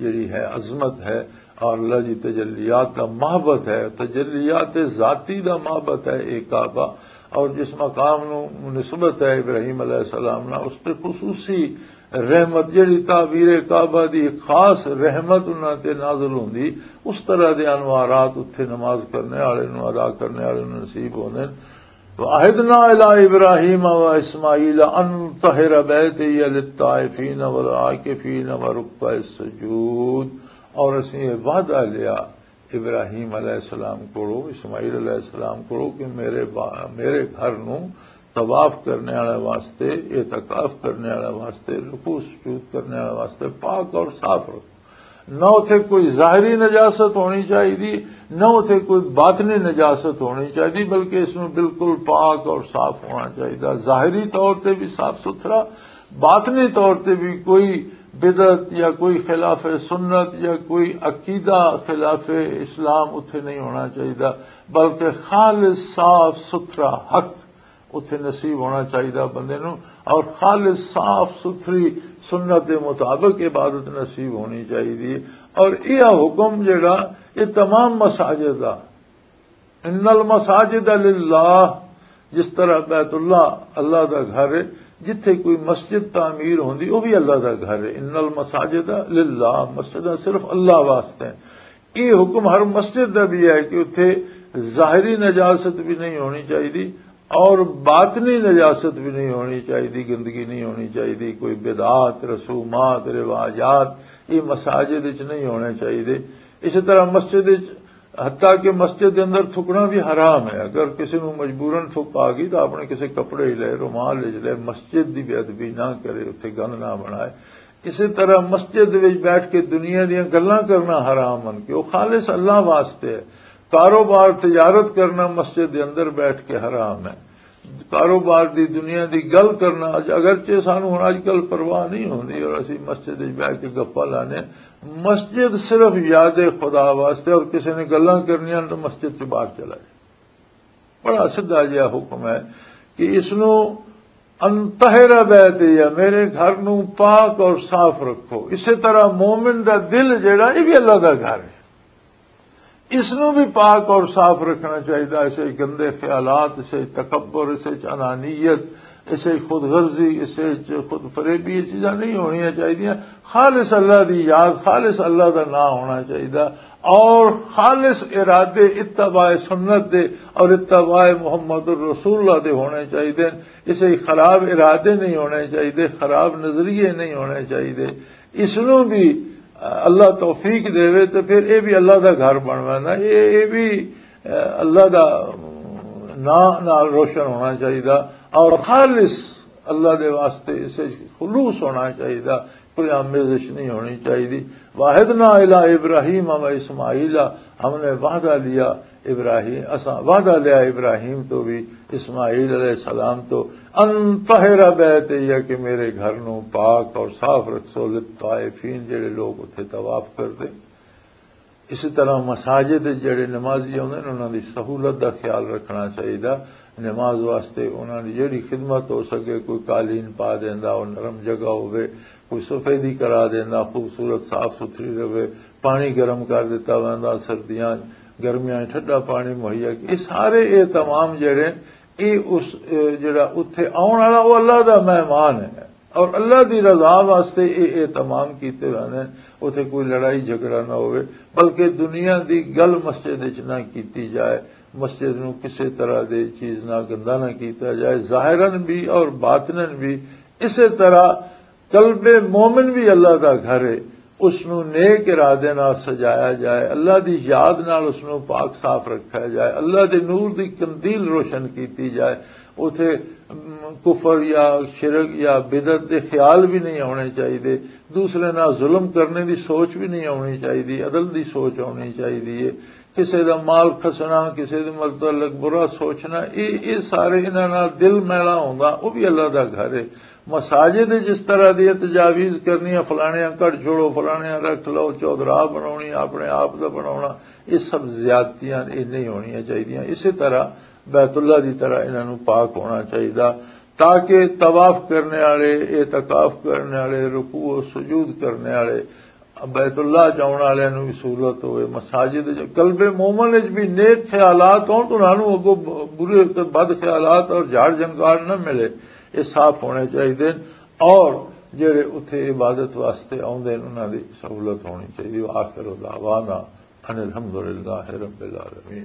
جڑی ہے عظمت ہے، اور اللہ دی تجلیات دا معبد ہے، تجلیات ذاتی دا معبد ہے ایک کعبہ۔ اور جس مقام نو نسبت ہے ابراہیم علیہ السلام نا، اس تے خصوصی رحمت، جڑی تعبیر کعبہ دی خاص رحمت انہاں تے نازل ہوندی، اس طرح دے انوارات اتھے نماز کرنے والے نوں، ادا کرنے والے نوں نصیب ہوندے نے۔ وَعَهِدْنَا إِلَىٰ إِبْرَاهِيمَ وَإِسْمَاعِيلَ أَن طَهِّرَ بَيْتِيَ لِلطَّائِفِينَ وَالْعَاكِفِينَ وَرُكَّعِ السُّجُودِ، اور اسیں یہ وعدہ لیا ابراہیم علیہ السلام کولو، اسماعیل علیہ السلام کولو کہ میرے با-، میرے گھر نو طواف کرنے والے واسطے، اعتکاف کرنے والے واسطے، رکوع سجود کرنے والے واسطے پاک اور صاف رکھو۔ نہ اتھے کوئی ظاہری نجاست ہونی چاہیے، نہ اتھے کوئی باطنی نجاست ہونی چاہیے، بلکہ اس میں بالکل پاک اور صاف ہونا چاہیے۔ ظاہری طور تے بھی صاف ستھرا، باطنی طور تے بھی کوئی بدعت یا کوئی خلاف سنت یا کوئی عقیدہ خلاف اسلام اتھے نہیں ہونا چاہیے، بلکہ خالص صاف ستھرا حق اتھے نصیب ہونا چاہیے بندے نوں، اور خالص صاف ستھری سنت دے مطابق عبادت نصیب ہونی چاہیے۔ اور یہ حکم جڑا، یہ تمام مساجد دا، ان المساجد للہ، جس طرح بیت اللہ اللہ دا گھر ہے، جتھے کوئی مسجد تعمیر ہوندی، وہ بھی اللہ دا گھر ہے۔ ان المساجد للہ، مسجداں صرف اللہ واسطے ہیں۔ یہ حکم ہر مسجد دا بھی ہے کہ اتھے ظاہری نجاست بھی نہیں ہونی چاہیے، اور باطنی نجاست بھی نہیں ہونی چاہیے، گندگی نہیں ہونی چاہیے، کوئی بدعات، رسومات، رواجات، یہ مساجد وچ نہیں ہونے چاہیے۔ اسی طرح مسجد وچ، حتیٰ کہ مسجد دے اندر تھکنا بھی حرام ہے۔ اگر کسی نو مجبوراً تھک آ گئی تو اپنے کسی کپڑے ہی لے، رومال ہی لے، مسجد دی بے ادبی نہ کرے، اتھے گند نہ بنائے۔ اسی طرح مسجد وچ بیٹھ کے دنیا دیاں گلاں کرنا حرام ہن کہ وہ خالص اللہ واسطے ہے۔ کاروبار، تجارت کرنا مسجد دے اندر بیٹھ کے حرام ہے۔ کاروبار دی، دنیا دی گل کرنا، اج-، اگرچہ سانو ہن اج کل پرواہ نہیں ہوندی اور اسی مسجد وچ بیٹھ کے گپاں لانے، مسجد صرف یاد خدا واسطے، اور کسی نے گلاں کرنیاں تو مسجد سے باہر چلا جائے۔ بڑا سیدھا جہا حکم ہے کہ اس نو انطہر بیتی، یا میرے گھر نو پاک اور صاف رکھو۔ اسی طرح مومن دا دل جڑا، یہ بھی اللہ دا گھر ہے، اس نو بھی پاک اور صاف رکھنا چاہیے۔ اسے گندے خیالات، اسے تکبر، اسے انانیت، اسے خود غرضی، اسے خود فریبی، یہ چیزاں نہیں ہونی چاہیے۔ خالص اللہ دی یاد، خالص اللہ دا نام ہونا چاہیے، اور خالص ارادے اتباع سنت دے اور اتباع محمد الرسول اللہ دے ہونے چاہیے۔ اسے خراب ارادے نہیں ہونے چاہیے، خراب نظریے نہیں ہونے چاہیے۔ اس نو بھی اللہ توفیق دے، تو پھر یہ بھی اللہ دا گھر بن ویندا، یہ یہ بھی اللہ دا نام نال روشن ہونا چاہیے، اور خالص اللہ دے واسطے اسے خلوص ہونا چاہیے، کوئی آمیزش نہیں ہونی چاہیے۔ واحد نہ الا ابراہیم و اسماعیل، ہم نے وعدہ لیا ابراہیم، اساں وعدہ لیا ابراہیم تو بھی، اسماعیل علیہ السلام تو، ان طہر بیتی، کہ میرے گھر نو پاک اور صاف رکھسو، للطائفین، جڑے لوگ اتھے طواف کردے۔ اسی طرح مساجد جڑے نمازی ہوندے نے، انہاں دی سہولت دا خیال رکھنا چاہیدا۔ نماز واسطے انہاں دی جڑی خدمت ہو سکے، کوئی قالین پا دیندا، او نرم جگہ ہوے، کوئی سفیدی کرا دیندا، خوبصورت صاف ستھری رہے، پانی گرم کر دیتا ویندا، سردیاں گرمیاں ٹھنڈا پانی مہیا۔ یہ سارے اہتمام جڑے، یہ اس، اے، جڑا اتھے آن والا، وہ اللہ دا مہمان ہے، اور اللہ دی رضا واسطے یہ اہتمام کیتے ویندے نے۔ اتھے کوئی لڑائی جھگڑا نہ ہوئے، بلکہ دنیا دی گل مسجد وچ نہ کیتی جائے، مسجد نو کسے طرح دے چیز نہ گندا نہ کیتا جائے، ظاہراً بھی اور باطناً بھی۔ اسے طرح قلب مومن بھی اللہ دا گھر ہے، اس نو نیک ارادے نال سجایا جائے، اللہ دی یاد نال اس نو پاک صاف رکھا جائے، اللہ دے نور دی قندیل روشن کیتی جائے۔ اوتھے، ام، کفر یا شرک یا بدعت دے خیال بھی نہیں آنے چاہیے، دوسرے نال ظلم کرنے دی سوچ بھی نہیں آنی چاہیے، عدل دی سوچ آنی چاہیے۔ کسے دا مال کھسنا، کسے دے متعلق برا سوچنا، یہ یہ سارے انہاں نال دل میلا ہوندا، وہ بھی اللہ دا گھر ہے۔ مساجد جس طرح دی تجاویز کرنی ہے، فلانیاں کڈ چھوڑو، فلانیاں رکھ لو، چودراہ بناونی، اپنے آپ دا بناونا، یہ سب زیادتیاں، یہ نہیں ہونیاں چاہیدیاں۔ اسی طرح بیت اللہ دی طرح انہاں نوں پاک ہونا چاہیدا، تاکہ طواف کرنے والے، اعتکاف کرنے والے، رکوع و سجود کرنے والے، بیت اللہ جاؤن والے نوں بھی سہولت ہوئے۔ مساجد جو قلب مومن وچ بھی نیک خیالات ہون تو انہاں نوں اگوں برے تے بد خیالات اور جھاڑ جھنکار نہ ملے، یہ صاف ہونے چاہیے۔ اور جڑے اتھے عبادت واسطے آوندے نے، انہاں دی سہولت ہونی چاہیے۔ وآخر دعوانا ان الحمدللہ رب العالمین۔